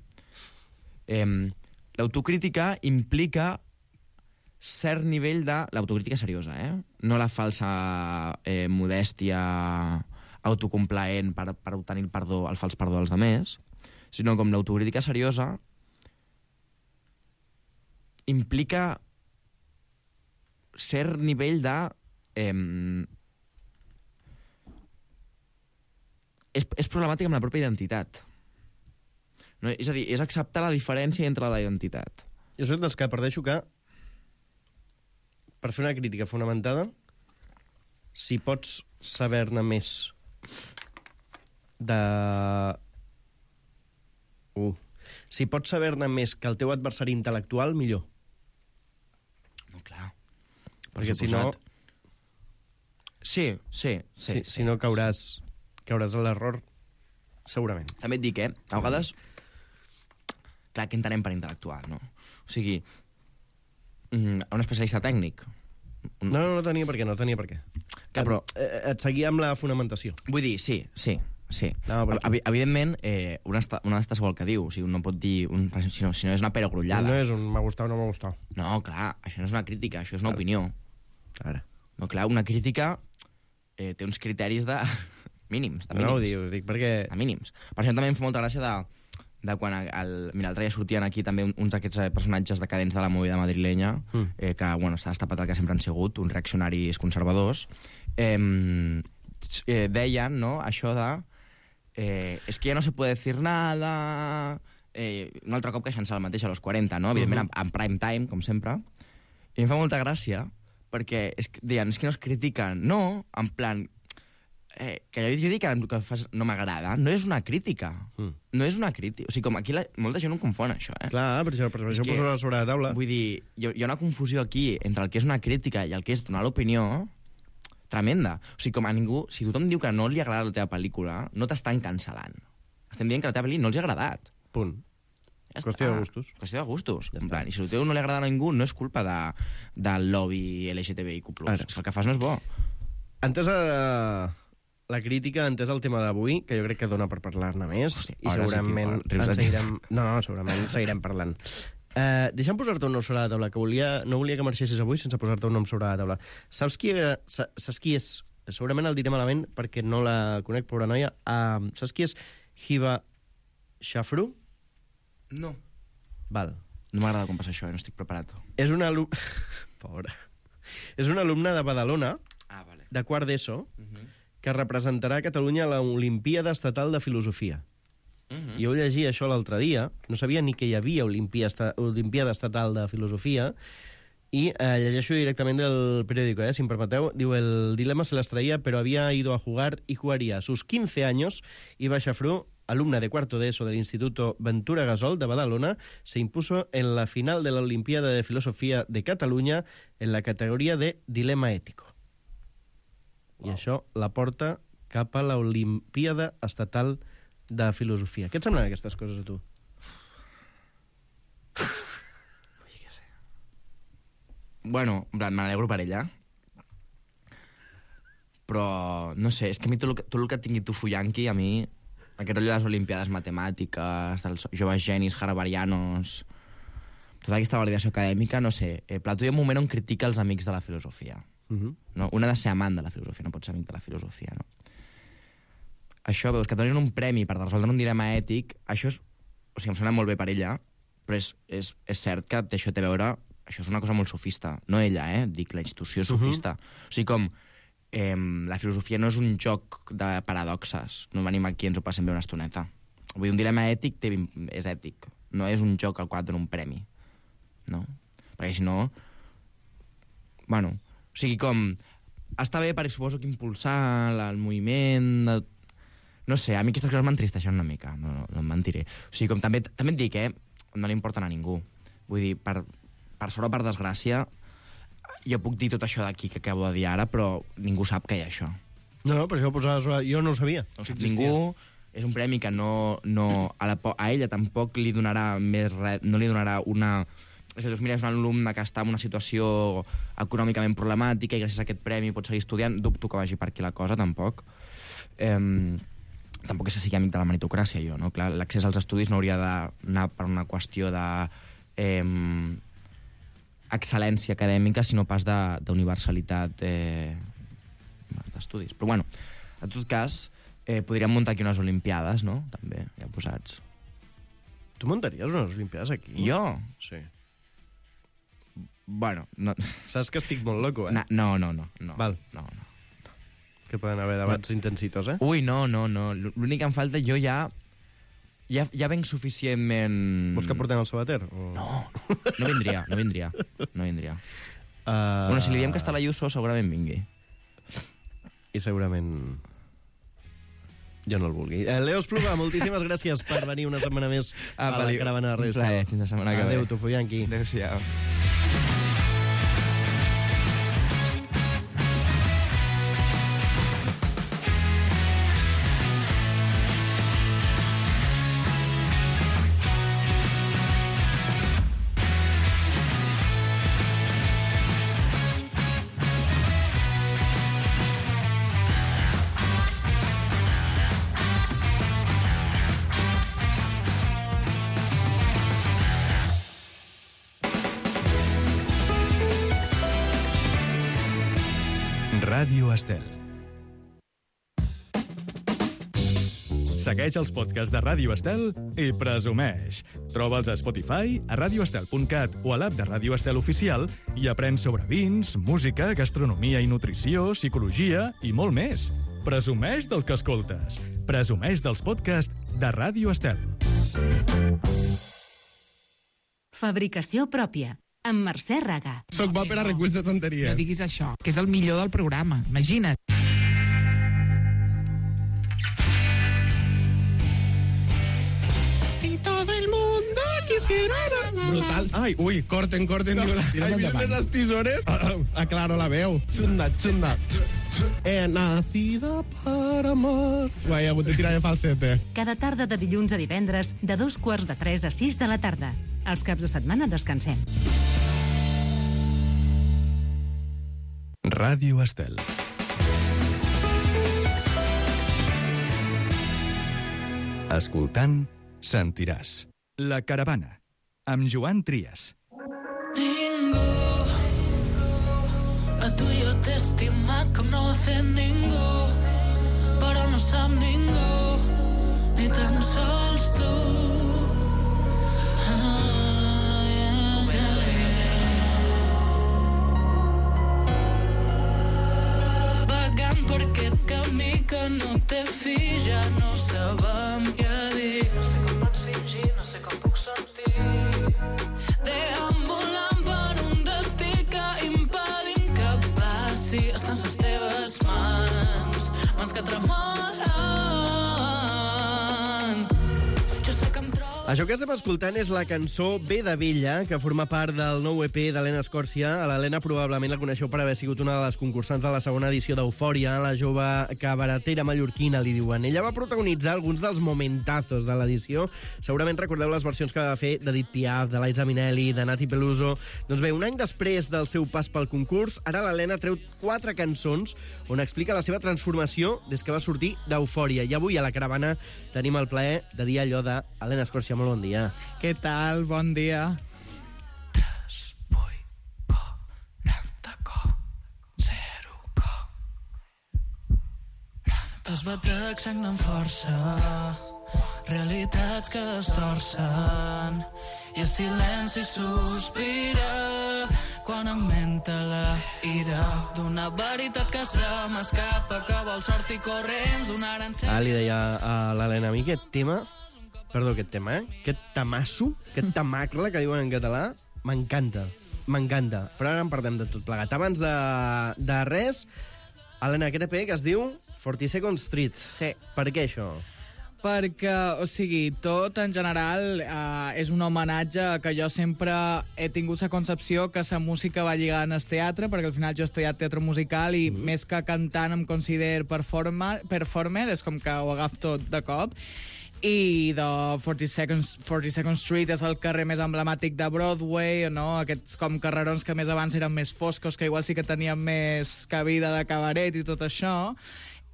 L'autocrítica implica cert nivell de... L'autocrítica seriosa, no la falsa modèstia autocomplaent per obtenir el fals perdó dels altres, sinó com l'autocrítica seriosa implica cert nivell de... És problemàtic amb la pròpia identitat. No? És a dir, és acceptar la diferència entre la identitat. Jo soc dels que parteixo que per fer una crítica fonamentada, si pots saber-ne més de... Si pots saber-ne més que el teu adversari intel·lectual, millor. No, clar. Perquè si no... Sí. Si no cauràs a l'error, segurament. També et dic, a vegades... Clar, què entenem per intel·lectual, no? O sigui, un especialista tècnic... No tenia per què. Clar, però... Et seguia amb la fonamentació. Vull dir, sí. No, evidentment, una d'estes vol que diu. O sigui, no pot dir... Si no és una perogrullada. No és un m'ha gustat o no m'ha gustat. No, clar, això no és una crítica, això és una opinió. Ara. No, clar, una crítica té uns criteris de mínims. No ho dic perquè... De mínims. Per això també em fa molta gràcia de quan l'altre dia sortien aquí també uns d'aquests personatges decadents de la movida madrilenya, que, bueno, s'ha destapat el que sempre han sigut, uns reaccionaris conservadors, deien, no?, això de es que ja no se puede decir nada, un altre cop queixant-se el mateix a los 40, no?, evidentment en prime time, com sempre, i em fa molta gràcia, perquè deien, és que no es critiquen, no, en plan... que jo dic que el que fas no m'agrada, no és una crítica. No és una crítica. O sigui, com aquí molta gent no confon, això, Clar, per això poso sobre la taula. Vull dir, hi ha una confusió aquí entre el que és una crítica i el que és donar l'opinió tremenda. O sigui, com a ningú... Si tothom diu que no li agrada la teva pel·lícula, no t'estan cancel·lant. Estem dient que la teva pel·lícula no els ha agradat. Punt. Ja qüestió de gustos. Qüestió de gustos. Ja en plan, i si el teu no li agrada a ningú, no és culpa del lobby LGTBIQ+. És que el que fas no és bo. Entès la crítica, entès el tema d'avui, que jo crec que dona per parlar-ne més, i segurament segurament seguirem parlant. Deixa'm posar-te un nom sobre la taula, que no volia que marxessis avui sense posar-te un nom sobre la taula. Saps qui és? Segurament el diré malament perquè no la conec, pobra noia. Saps qui és Hiba Shafru? No. Val. No m'agrada com passa això, no estic preparat. És una alumna... Pobra. És una alumna de Badalona, de quart d'ESO, que representarà a Catalunya a l'Olimpíada Estatal de Filosofia. Jo llegia això l'altre dia, no sabia ni que hi havia Olimpiada Estatal de Filosofia, y llegeixo directamente del periódico, si me permeteu. Diu, el dilema se las traía, pero había ido a jugar y jugaría. A sus 15 años, Hiba Shafru, alumna de cuarto de ESO del Instituto Ventura Gasol de Badalona, se impuso en la final de la Olimpiada de Filosofía de Catalunya en la categoria de dilema ètico. I això la porta cap a l'Olimpíada Estatal de Filosofia. Què et semblen aquestes coses a tu? Bueno, m'alegro per ella. Però, no sé, és que a mi tot el que tingui Tufuyanqui, a mi, aquest rotllo de les Olimpiades Matemàtiques, dels joves genis harvarianos, tota aquesta validació acadèmica, no sé. Plató hi ha un moment on critica els amics de la filosofia. No? Un ha de ser amant de la filosofia, no pot ser amic de la filosofia, no? Això, veus, que donin un premi per resoldre un dilema ètic, això és O sigui, em sembla molt bé per ella, però és cert que això té a veure... Això és una cosa molt sofista. No ella, dic, la institució sofista. O sigui, com la filosofia no és un joc de paradoxes. No venim aquí i ens ho passem bé una estoneta. Vull dir, un dilema ètic és ètic. No és un joc al qual et dona un premi. No? Perquè si no... Bueno, o sigui, com... Està bé perquè suposo que impulsar el moviment... No sé, a mi aquestes coses m'entristeixen una mica, no em mentiré. O sigui, com també et dic, no li importen a ningú. Vull dir, per sort o per desgràcia, jo puc dir tot això d'aquí que acabo de dir ara, però ningú sap que hi ha això. No, per això ho posaves... Jo no ho sabia. No ho sap ningú, és un premi que a ella tampoc li donarà més res, no li donarà una... És a dir, mira, és un alumne que està en una situació econòmicament problemàtica i gràcies a aquest premi pot seguir estudiant. Dubto que vagi per aquí la cosa, tampoc. Tampoc és que sigui amic de la meritocràcia, jo, no? Clar, l'accés als estudis no hauria d'anar per una qüestió de excel·lència acadèmica, sinó pas d'universalitat d'estudis. Però, bueno, en tot cas, podríem muntar aquí unes olimpiades, no? També, ja posats. Tu muntaries unes olimpiades aquí? Jo? Sí. Bueno, no... Saps que estic molt loco, No. Val. No. Que poden haver debats intensitos, Ui, no. L'únic que em falta, jo ja venc suficientment... Vols que portem el Sabater? O... No vindria. Bueno, si li diem que està la Ayuso, segurament vingui. I segurament... Jo no el vulgui. Leo Espluga, moltíssimes gràcies per venir una setmana més a la caravana de Ràdio Estel. Fins la setmana que ve. Adéu, Tofoyanqui. Adéu-siau. Ràdio Estel. Segueix els podcasts de Ràdio Estel i presumeix. Troba'ls a Spotify, a radioestel.cat o a l'app de Ràdio Estel Oficial i aprèn sobre vins, música, gastronomia i nutrició, psicologia i molt més. Presumeix del que escoltes. Presumeix dels podcasts de Ràdio Estel. Fabricació pròpia, amb Mercè Raga. Soc bo per a reculls de tonteries. No diguis això, que és el millor del programa. Imagina't. Si todo el mundo quisiera... Brutal. Ai, ui, corten. Ai, vienen las tisores. Aclaro la veu. Xunda. He nacido para amar. Guai, he hagut de tirar de falsete. Cada tarda de dilluns a divendres, de 2:45 a 6 de la tarda. Els caps de setmana descansem. Ràdio Estel. Escoltant, sentiràs. La caravana, amb Joan Trias. Ningú a tu jo t'he estimat com no ho ha fet ningú, però no sap ningú, ni tan sols tu. Vagant per aquest camí que no té fi, ja no sabem què dir. No sé com pots fingir, no sé com puc sortir. Deambulant per un destí que impedim que passi. Estan les teves mans que tremolen. Jo sé que em trobo... Això que estem escoltant és la cançó Ve de Vella, que forma part del nou EP d'Helena Escòrcia. A l'Helena probablement la coneixeu per haver sigut una de les concursants de la segona edició d'Eufòria, la jove cabaretera mallorquina, li diuen. Ella va protagonitzar alguns dels momentazos de l'edició. Segurament recordeu les versions que va fer d'Edith Piaf, de Liza Minnelli, de Nati Peluso. Doncs bé, un any després del seu pas pel concurs, ara l'Helena treu 4 cançons on explica la seva transformació des que va sortir d'Eufòria. I avui a la caravana tenim el plaer de dir allò de Helena Escòrcia. Molt bon dia. Què tal? Bon dia. 3, 8, 40, 0, els batecs sagnen força. realitats que es torcen i el silenci sospira quan augmenta la ira d'una veritat que se m'escapa, que vol sortir corrents donant li deia a l'Helena, a mi aquest tema, aquest tamasso, aquest tamacle que diuen en català, m'encanta. Però ara en parlem de tot plegat. Abans de res, Helena, aquest EP que es diu 42nd Street. Sí. Per què això? Perquè, tot en general és un homenatge que jo sempre he tingut la concepció que la música va lligada en el teatre, perquè al final jo he estudiat teatre musical i més que cantant em considero performer, és com que ho agafo tot de cop. I de 42nd Street és el carrer més emblemàtic de Broadway, no? Aquests com carrerons que més abans eren més foscos, que igual sí que tenien més cabida de cabaret i tot això.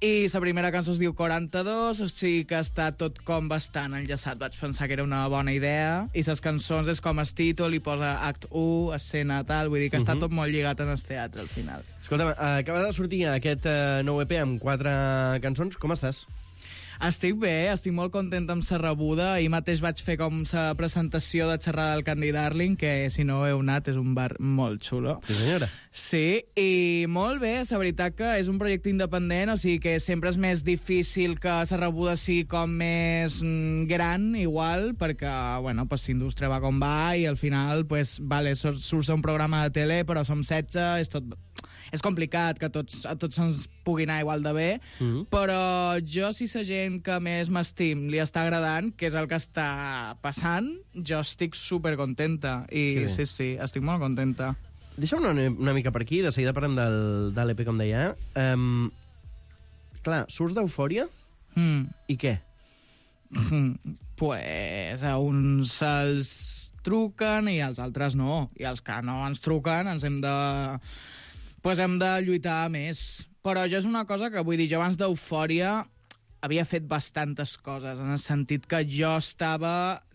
I la primera cançó es diu 42, o sigui que està tot com bastant enllaçat. Vaig pensar que era una bona idea. I les cançons és com el títol, i posa act 1, escena tal, vull dir que està tot molt lligat en el teatre al final. Escolta'm, acaba de sortir aquest nou EP amb 4 cançons. Com estàs? Estic bé, estic molt contenta amb la rebuda. Ahir mateix vaig fer com la presentació de xerrada del Candy Darling, que si no heu anat és un bar molt xulo. Sí, senyora. Sí, i molt bé, la veritat que és un projecte independent, o sigui que sempre és més difícil que la rebuda sigui com més gran, igual, perquè, bueno, pues l'indústria va com va i al final, pues, vale, surt un programa de tele, però som 16, és tot... És complicat que a tots ens pugui anar igual de bé, però jo, si la gent que més m'estim li està agradant, que és el que està passant, jo estic supercontenta. I sí, estic molt contenta. Deixa'm una mica per aquí, de seguida parlem de l'EP, com deia. Clar, surts d'Eufòria i què? Pues a uns els truquen i als altres no. I els que no ens truquen ens hem de lluitar més. Però jo és una cosa que vull dir, jo abans d'Eufòria havia fet bastantes coses, en el sentit que jo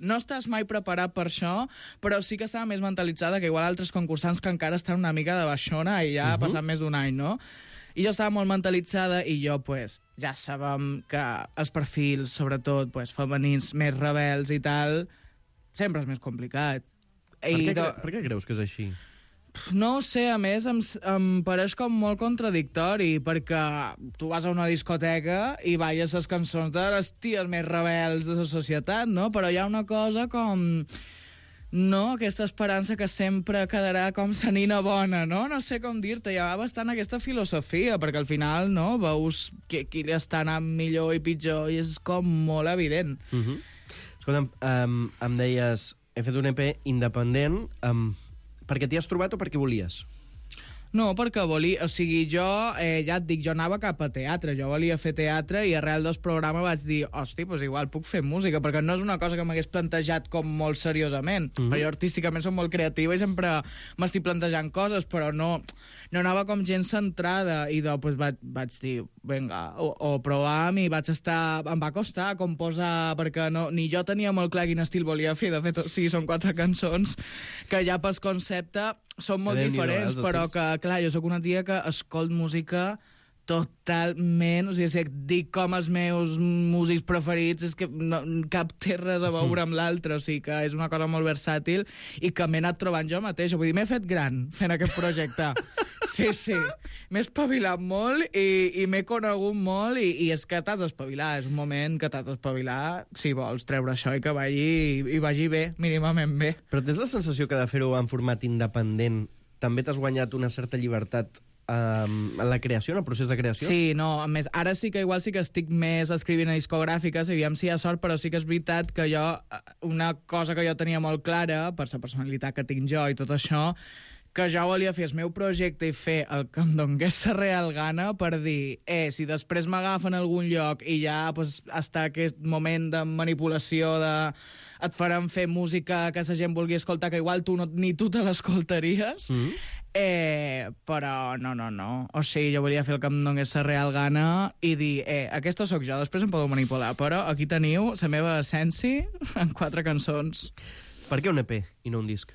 no estàs mai preparat per això, però sí que estava més mentalitzada que igual altres concursants que encara estan una mica de baixona i ja ha passat més d'un any, no? I jo estava molt mentalitzada i jo, pues, ja sabem que els perfils, sobretot, pues, femenins més rebels i tal, sempre és més complicat. Per què creus que és així? No ho sé, a més em pareix com molt contradictori, perquè tu vas a una discoteca i balles les cançons de les ties més rebels de la societat, no? Però hi ha una cosa com... No, aquesta esperança que sempre quedarà com sa nina bona, no? No sé com dir-te, hi ha bastant aquesta filosofia, perquè al final, no?, veus qui li està anant millor i pitjor, i és com molt evident. Escolta'm, em deies, he fet un EP independent, perquè t'hi has trobat o perquè volies? No, perquè volia... O sigui, jo, ja et dic, jo anava cap a teatre. Jo volia fer teatre i arrel del programa vaig dir, hosti, doncs igual puc fer música, perquè no és una cosa que m'hagués plantejat com molt seriosament. Perquè jo artísticament soc molt creativa i sempre m'estic plantejant coses, però no anava com gent centrada. I doncs vaig dir, vinga, ho provàvem i vaig estar... Em va costar composar, perquè ni jo tenia molt clar quin estil volia fer. De fet, o sigui, són 4 cançons que ja pel concepte són molt diferents, però que, clar, jo sóc una tia que escolt música totalment, o sigui, si et dic com els meus músics preferits és que cap té res a veure amb l'altre, o sigui que és una cosa molt versàtil i que m'he anat trobant jo mateixa, vull dir, m'he fet gran fent aquest projecte. Sí, m'he espavilat molt i m'he conegut molt i és que t'has d'espavilar, és un moment que t'has d'espavilar si vols treure això i que vagi bé, mínimament bé. Però tens la sensació que de fer-ho en format independent també t'has guanyat una certa llibertat en la creació, en el procés de creació? Sí, no, a més, ara sí que igual sí que estic més escrivint a discogràfiques, aviam si hi ha sort, però sí que és veritat que jo, una cosa que jo tenia molt clara, per la personalitat que tinc jo i tot això, que jo volia fer el meu projecte i fer el que em donés la real gana per dir, si després m'agafen a algun lloc i ja pues, està aquest moment de manipulació et faran fer música que la gent vulgui escoltar, que igual ni tu te l'escoltaries, però no. O sigui, jo volia fer el que em donés la real gana i dir, aquesta sóc jo, després em podeu manipular, però aquí teniu la meva essència en 4 cançons. Per què un EP i no un disc?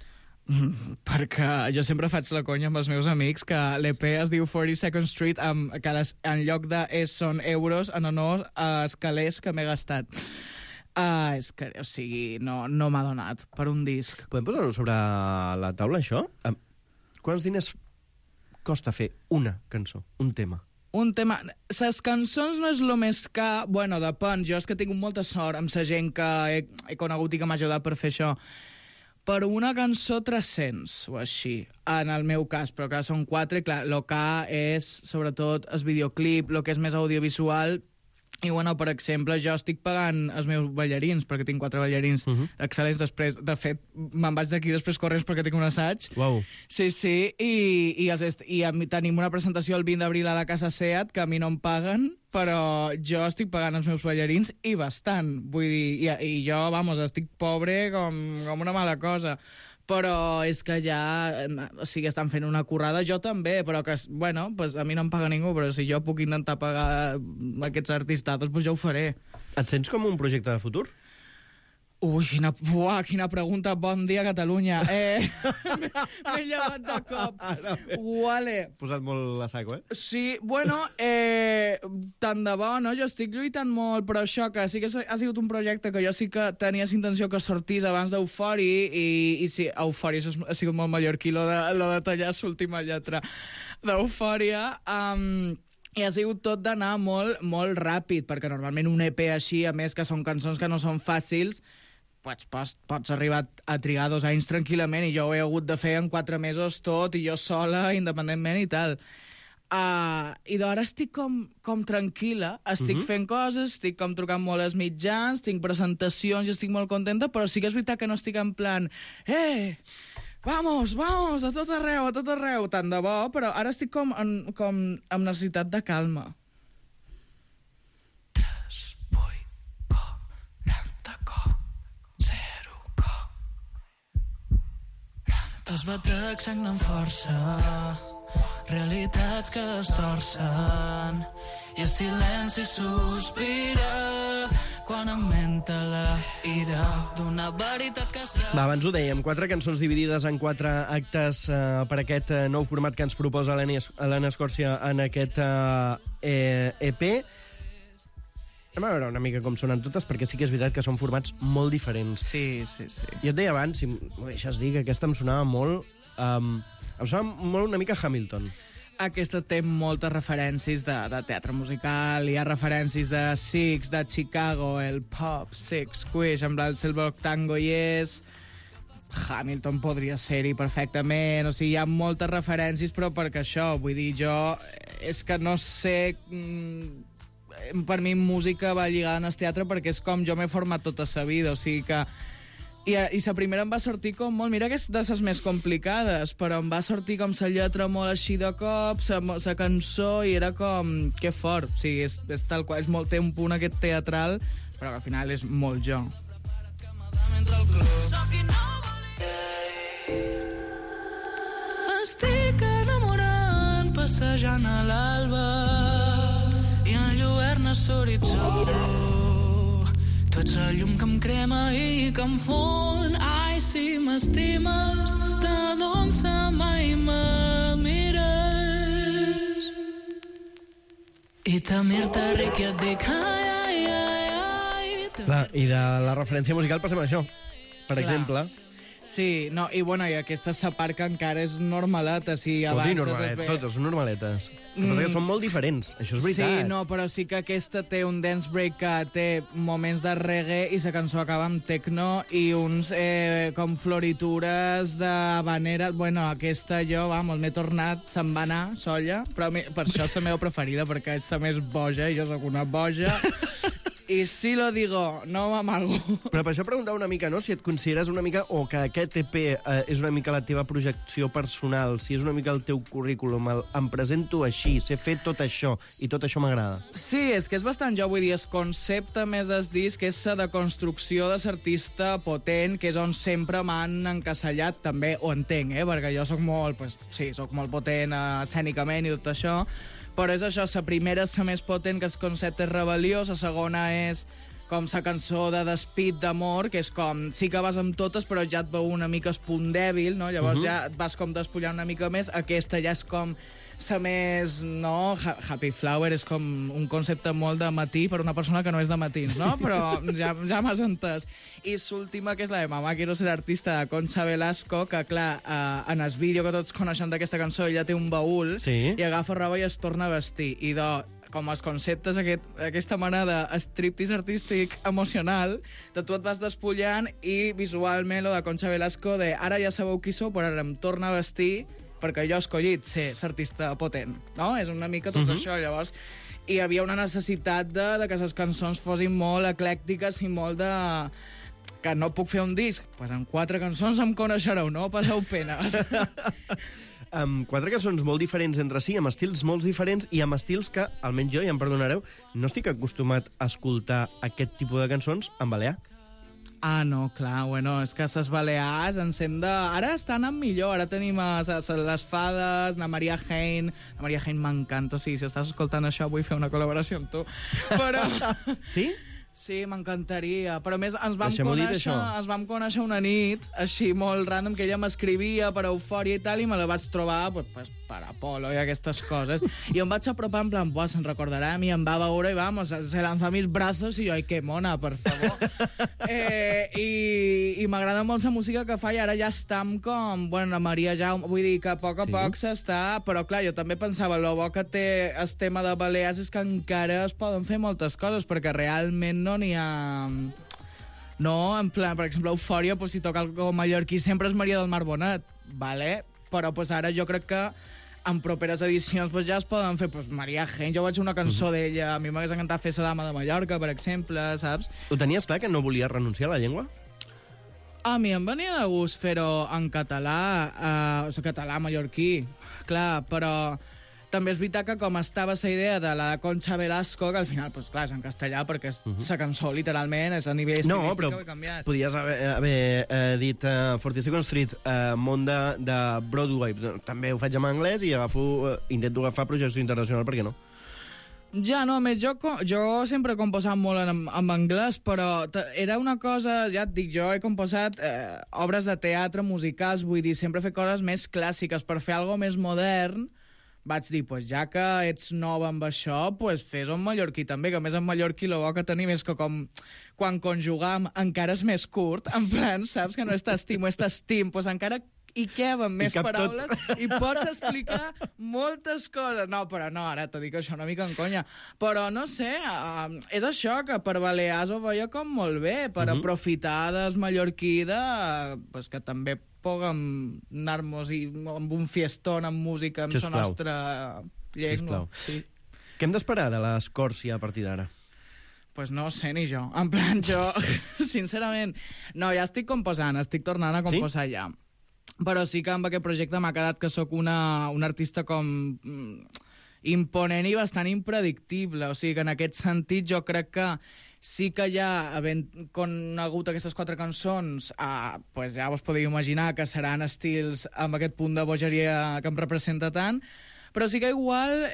Perquè jo sempre faig la conya amb els meus amics que l'EP es diu 42nd Street, que en lloc de són euros en honor als calés que m'he gastat. És que, o sigui, no m'ha donat per un disc. Podem posar-ho sobre la taula, això? Quants diners costa fer una cançó, un tema? Un tema... Ses cançons no és el més car... Bueno, depèn. Jo és que tinc molta sort amb la gent que he conegut i que m'ha ajudat per fer això. Per una cançó 300 o així, en el meu cas, però clar, són 4, i clar, el car és sobretot el videoclip, el que és més audiovisual. I, bueno, per exemple, jo estic pagant els meus ballarins, perquè tinc 4 ballarins excel·lents. Després, de fet, me'n vaig d'aquí després corrents perquè tinc un assaig. Uau. Sí, i tenim una presentació el 20 d'abril a la Casa Seat, que a mi no em paguen, però jo estic pagant els meus ballarins i bastant. Vull dir, i jo, vamos, estic pobre com una mala cosa. Però és que ja, o sigui, estan fent una currada, jo també, però que, bueno, pues a mi no em paga ningú, però si jo puc intentar pagar aquests artistes, doncs ja ho faré. Et sents com un projecte de futur? Ui, quina pregunta. Bon dia, Catalunya. M'he llevat de cop. Vale. Posat molt a saco, Sí, bueno, tant de bo, no? Jo estic lluitant molt, però això, que sí que ha sigut un projecte que jo sí que tenia intenció que sortís abans d'Eufori, i sí, Eufori ha sigut molt mallorquí, lo de tallar l'última lletra d'Eufòria. I ha sigut tot d'anar molt, molt ràpid, perquè normalment un EP així, a més que són cançons que no són fàcils, pots arribar a trigar 2 anys tranquil·lament, i jo ho he hagut de fer en 4 mesos tot, i jo sola, independentment i tal. I d'ara estic com tranquil·la, estic fent coses, estic com trucant molt als mitjans, tinc presentacions, jo estic molt contenta, però sí que és veritat que no estic en plan vamos, a tot arreu, tant de bo, però ara estic com amb necessitat de calma. 3, 8, 40, 0, els batecs sagnen força, realitats que es torcen, i el silenci sospira quan augmenta la ira d'una veritat que s'ha... Va, abans ho dèiem, 4 cançons dividides en 4 actes per aquest nou format que ens proposa Helena Escòrcia en aquest EP. Anem a veure una mica com sonen totes, perquè sí que és veritat que són formats molt diferents. Sí. Jo et deia abans, si m'ho deixes dir, que aquesta em sonava molt... em sonava molt una mica Hamilton. Aquesta té moltes referències de teatre musical, hi ha referències de Six, de Chicago, el pop, Six, Squish, amb el Silver Tango, i és... Hamilton podria ser-hi perfectament, o sigui, hi ha moltes referències, però perquè això, vull dir, jo... És que no sé... Per mi música va lligada en el teatre perquè és com jo m'he format tota la vida, o sigui que... I la primera em va sortir com molt... Mira que és de les més complicades, però em va sortir com la lletra molt així de cop, la cançó, i era com... Que fort. O sigui, és tal qual, té un punt aquest teatral, però que al final és molt jo. Estic enamorant, passejant a l'alba, i enlluerna l'horitzó. Tu ets la llum que em crema i que em fon. Ai, si m'estimes, t'adonça mai me mires. I te mir-te ric i et dic ai. Clar, i de la referència musical passem a això, per exemple. Sí, no, i bueno, i aquesta part que encara és normaleta, si avances... Totes són normaletes. El que passa que són molt diferents, això és veritat. Sí, no, però sí que aquesta té un dance break que té moments de reggae i la cançó acaba amb techno i uns com floritures d'habanera. Bueno, aquesta jo, vamos, m'he tornat, se'n va anar, solla, però per això és la meva preferida, perquè és la més boja i jo sóc una boja. I sí lo digo, no m'amago. Però per això preguntava una mica, no?, si et consideres una mica, o que aquest EP és una mica la teva projecció personal, si és una mica el teu currículum, em presento així, sé fer tot això, i tot això m'agrada. Sí, és que és bastant jo, vull dir, el concepte més es disc és la deconstrucció de l'artista potent, que és on sempre m'han encasellat, també ho entenc, perquè jo sóc molt, soc molt potent escènicament i tot això, però és això, la primera és la més potent, que el concepte és rebel·lió, la segona és com la cançó de despit d'amor, que és com, sí que vas amb totes, però ja et veu una mica el punt dèbil, no? Llavors ja et vas com despullant una mica més. Aquesta ja és com la més, no? Happy Flower és com un concepte molt de matí per una persona que no és de matins, no? Però ja m'has entès. I l'última, que és la de Mamá quiero ser artista, de Concha Velasco, que clar, en el vídeo que tots coneixen d'aquesta cançó, ella té un baúl i agafa roba i es torna a vestir. I com els conceptes, aquesta mena de striptease artístic emocional, de tu et vas despullant i visualment lo de Concha Velasco de ara ja sabeu qui sou, però ara em torna a vestir perquè jo he escollit ser l'artista potent, no? És una mica tot això, llavors. I hi havia una necessitat de que les cançons fossin molt eclèctiques i molt de... que no puc fer un disc, doncs amb 4 cançons em coneixereu, no passeu penes. Amb 4 cançons molt diferents entre si, amb estils molt diferents i amb estils que, almenys jo, ja em perdonareu, no estic acostumat a escoltar aquest tipus de cançons en balear. Ah, no, clar, bueno, és que les balears ens hem de... Ara estan en millor, ara tenim les Fades, la Maria Hein. La Maria Hein m'encanta, o sigui, si estàs escoltant això vull fer una col·laboració amb tu. Però... Sí? Sí, m'encantaria. Però a més ens vam conèixer una nit, així molt random, que ella m'escrivia per Eufòria i tal, i me la vaig trobar pues, per Apolo i aquestes coses. I em vaig apropar en plan, se'n recordarà a mi, em va veure i vamos, se lanza mis brazos i jo, ai, que mona, per favor. I m'agrada molt la música que fa i ara ja estem com, bueno, la Maria Jaume, vull dir que a poc s'està, però clar, jo també pensava, lo bo que té el tema de Balears és que encara es poden fer moltes coses, perquè realment no n'hi ha... No, en plan, per exemple, Eufòria, pues, si toca algo mallorquí, sempre és Maria del Mar Bonet, vale? Però pues, ara jo crec que en properes edicions pues, ja es poden fer pues, Maria Hein, jo vaig fer una cançó d'ella, a mi m'hagués encantat fer la Dama de Mallorca, per exemple, saps? Ho tenies clar, que no volies renunciar a la llengua? A mi em venia de gust fer-ho en català, o sigui, català mallorquí, clar, però... També és veritat que com estava la idea de la Concha Velasco, que al final, pues, clar, és en castellà, perquè la cançó, literalment, és a nivell estilístic que ho he canviat. Podies haver dit 42nd Street, món de Broadway. També ho faig en anglès i intento agafar projecció internacional, per què no? Ja, no, a més, jo sempre he composat molt en anglès, però era una cosa, ja et dic, jo he composat obres de teatre, musicals, vull dir, sempre he fet coses més clàssiques, per fer alguna més modern. Vaig dir, pues, ja que ets nova amb això, pues, fes-ho en mallorquí també, que a més en mallorquí el bo que tenim és que com quan conjugam encara és més curt, en plan, saps que no és t'estimo, és t'estim, pues encara hi queben més paraules i pots explicar moltes coses. No, però no, ara t'ho dic això una mica en conya. Però no sé, és això, que per Balears ho veia com molt bé, per aprofitar del mallorquí pues, que també puguem anar-nos amb un fiestón amb música amb la nostra llengua. Sí. Què hem d'esperar de l'Escòrcia a partir d'ara? Pues no sé ni jo. En plan, jo, sincerament, no, ja estic composant, estic tornant a composar ja. Però sí que amb aquest projecte m'ha quedat que sóc una artista com imponent i bastant impredictible. O sigui que en aquest sentit jo crec que sí que ja, havent conegut aquestes 4 cançons, pues ja vos podeu imaginar que seran estils amb aquest punt de bogeria que em representa tant, però sí que igual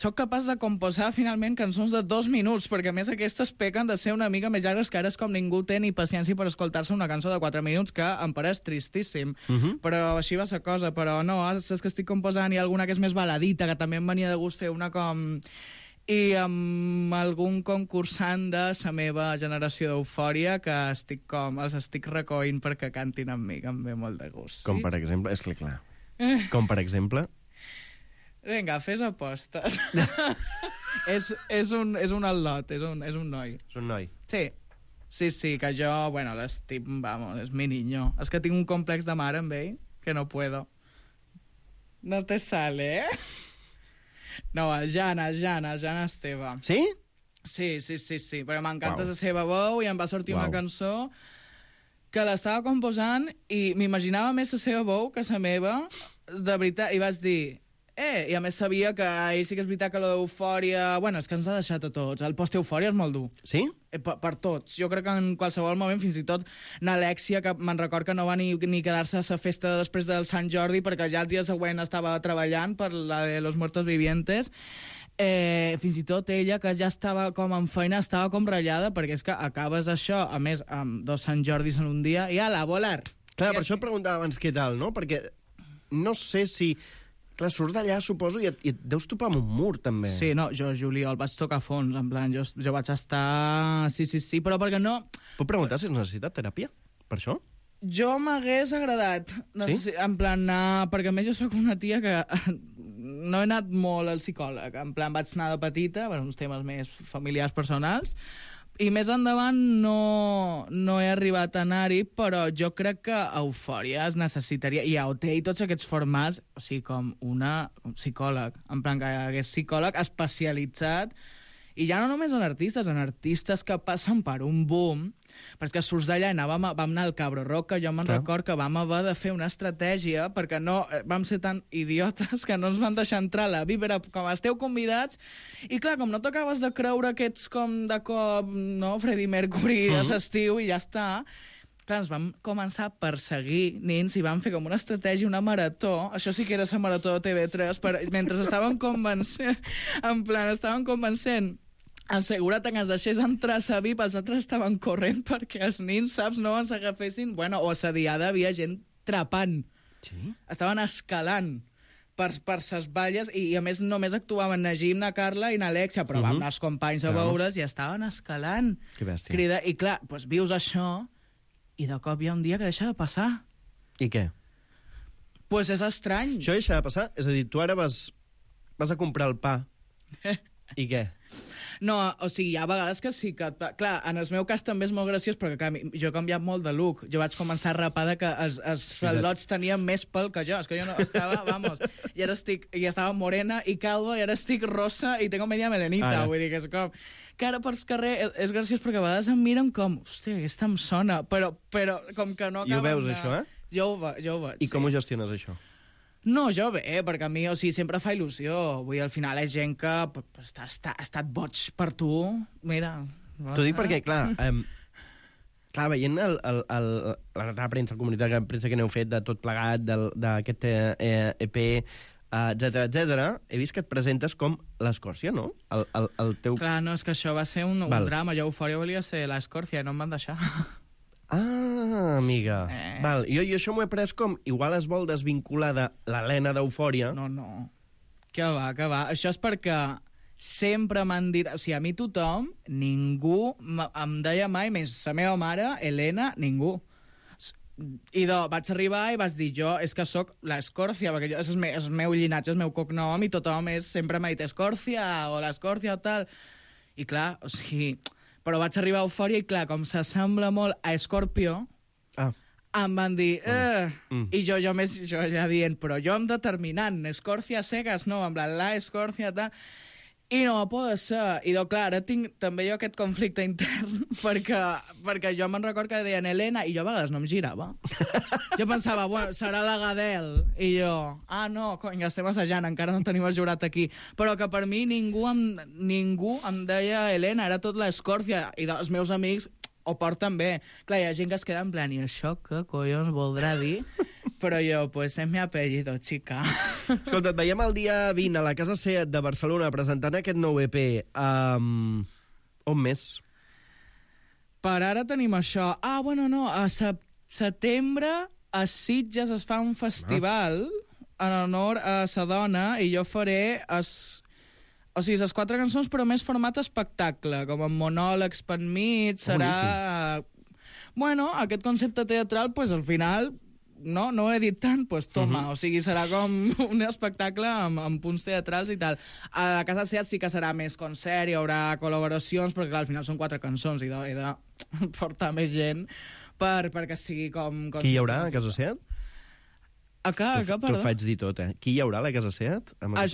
sóc capaç de composar finalment cançons de 2 minuts, perquè a més aquestes pequen de ser una mica més llargues, que ara és com ningú té ni paciència per escoltar-se una cançó de 4 minuts, que em pareix tristíssim. Però així va ser cosa, però no, és que estic composant i alguna que és més baladita, que també em venia de gust fer una com... I amb algun concursant de la meva generació d'Eufòria que els estic recollint perquè cantin amb mi, que em ve molt de gust. Com per exemple? És clar. Com per exemple? Vinga, fes apostes. és un al·lot, és un noi. És un noi? Sí, que jo, bueno, l'estim, vamos, és mi niño. És que tinc un complex de mare amb ell, que no puedo. No te sale, No, el Jana Esteve. Sí? Sí, però m'encanta la seva veu i em va sortir una cançó que l'estava composant i m'imaginava més la seva veu que la meva, de veritat, i vaig dir, I a més sabia que ell sí que és veritat que l'eufòria... Bueno, és que ens ha deixat a tots. El post-eufòria és molt dur. Sí? Per tots. Jo crec que en qualsevol moment, fins i tot n'Alexia, que me'n record que no va ni quedar-se a la festa després del Sant Jordi, perquè ja el dia següent estava treballant per la de los muertos vivientes. Fins i tot ella, que ja estava com en feina, estava com ratllada, perquè és que acabes això, a més, amb 2 Sant Jordis en un dia, i ala, a volar. Clar, per això et preguntava abans què tal, no? Perquè no sé si... Clar, surts d'allà, suposo, i et deus topar amb un mur, també. Sí, no, jo, juliol, vaig tocar fons, en plan, jo vaig estar... Sí, però perquè no... Puc preguntar si has necessitat teràpia, per això? Jo m'hagués agradat, en plan, perquè a més jo sóc una tia que no he anat molt al psicòleg, en plan, vaig anar de petita, per uns temes més familiars, personals, i més endavant no he arribat a anar-hi, però jo crec que Eufòria es necessitaria, i a OT i tots aquests formats, o sigui, com un psicòleg, en plan que hagués psicòleg especialitzat, i ja no només en artistes que passen per un boom, però és que surts d'allà i vam anar al Cabro Rock, que jo me'n record que vam haver de fer una estratègia, perquè no vam ser tan idiotes que no ens van deixar entrar a la VIP, era com esteu convidats, i clar, com no t'acabes de creure que ets com de cop, no, Freddie Mercury de l'estiu i ja està, clar, ens vam començar a perseguir nins i vam fer com una estratègia, una marató, això sí que era la marató de TV3, mentre estaven convencent el segurat que ens deixés entrar a la VIP, els altres estaven corrent perquè els nins, saps, no ens agafessin... Bueno, o a la diada havia gent trepant. Sí? Estaven escalant per ses valles i a més només actuaven Najim, na Carla i na Alexia, però vam anar els companys a veure's i estaven escalant. Que bèstia. I clar, doncs vius això i de cop hi ha un dia que deixa de passar. I què? Pues és estrany. Això deixa de passar? És a dir, tu ara vas a comprar el pa. I què? No, o sigui, hi ha vegades que sí que... Clar, en el meu cas també és molt graciós, perquè clar, jo he canviat molt de look. Jo vaig començar a rapar que els al·lots tenien més pèl que jo. És que jo no estava, vamos, i estava morena i calva, i ara estic rosa i tengo media melenita. Vull dir que és com... Que ara per carrer és graciós perquè a vegades em miren com... Hòstia, aquesta em sona, però com que no acaben... I ho veus, això, Jo ho veig, I com ho gestiones, això? No, jo bé, perquè a mi, o sigui, sempre fa il·lusió. Vull dir, al final és gent que ha estat boig per tu. Mira... T'ho dic perquè, clar, veient la premsa, el comunitat de premsa que n'heu fet de tot plegat, d'aquest EP, etcètera, he vist que et presentes com l'Escòrcia, no? El teu... Clar, no, és que això va ser un drama. Jo Eufòria volia ser l'Escòrcia i no em van deixar. Ah, amiga. Val, jo això m'ho he pres com... Igual es vol desvincular de l'Helena d'Eufòria. No. Que va. Això és perquè sempre m'han dit... O sigui, a mi tothom, ningú em deia mai, més la meva mare, Helena, ningú. I vaig arribar i vaig dir, jo és que sóc l'Escòrcia, perquè és el meu llinatge, el meu cognom, i tothom sempre m'ha dit Escòrcia o l'Escòrcia o tal. I clar, o sigui... Però vaig arribar a Eufòria i, clar, com s'assembla molt a Scorpio, em van dir... I jo ja dient, però jo em determinant, Escòrcia cegues, no, amb la Escòrcia, tal... I no va poder ser. I, clar, ara tinc també jo aquest conflicte intern, perquè jo me'n record que deien Helena, i jo a vegades no em girava. Jo pensava, bueno, serà la Gadel. I jo, no, cony, estem assajant, encara no tenim el jurat aquí. Però que per mi ningú em deia Helena, era tot l'Escòrcia. I els meus amics ho porten bé. Clar, hi ha gent que es queda en plan, i això què collons voldrà dir? Però jo, pues es mi apellido, chica. Escolta, et veiem el dia 20 a la Casa Seat de Barcelona presentant aquest nou EP. On més? Per ara tenim això. Bueno, no, a setembre a Sitges es fa un festival en honor a sa dona i jo faré o sigui, les 4 cançons, però més format espectacle, com en monòlegs per mig, serà... Bueno, aquest concepte teatral, pues al final... No he dit tant, doncs toma. O sigui, serà com un espectacle amb punts teatrals i tal. A la Casa Seat sí que serà més concert, hi haurà col·laboracions, perquè al final són 4 cançons i he de portar més gent perquè sigui com... Qui hi haurà a Casa Seat? T'ho T'ho faig dir tot, Qui hi haurà a la Casa Seat?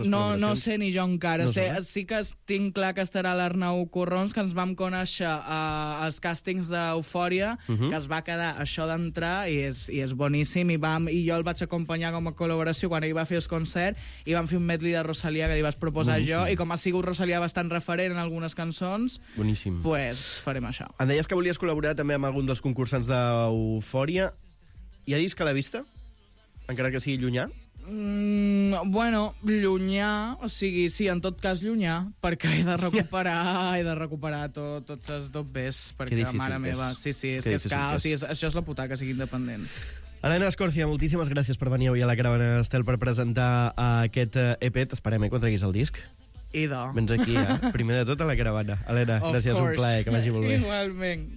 No sé ni jo encara. No Sí que tinc clar que estarà l'Arnau Corrons, que ens vam conèixer als càstings d'Eufòria, que es va quedar això d'entrar i és boníssim. I jo el vaig acompanyar com a col·laboració quan ell va fer el concert i vam fer un medley de Rosalia que li vaig proposar jo, i com ha sigut Rosalia bastant referent en algunes cançons, boníssim, pues farem això. Em deies que volies col·laborar també amb algun dels concursants d'Eufòria. Hi ha disc a la vista? Encara que sigui llunyà? Bueno, llunyà, o sigui, sí, en tot cas llunyà, perquè he de recuperar tots els dobbers, perquè mare meva, sí, és que això és la putada, que sigui independent. Helena Escòrcia, moltíssimes gràcies per venir avui a la Caravana Estel per presentar aquest EP. T'esperem, quan treguis el disc. Idò. Vens aquí, primer de tot a la Caravana. Helena, gràcies, un plaer, que vagi molt bé. Igualment.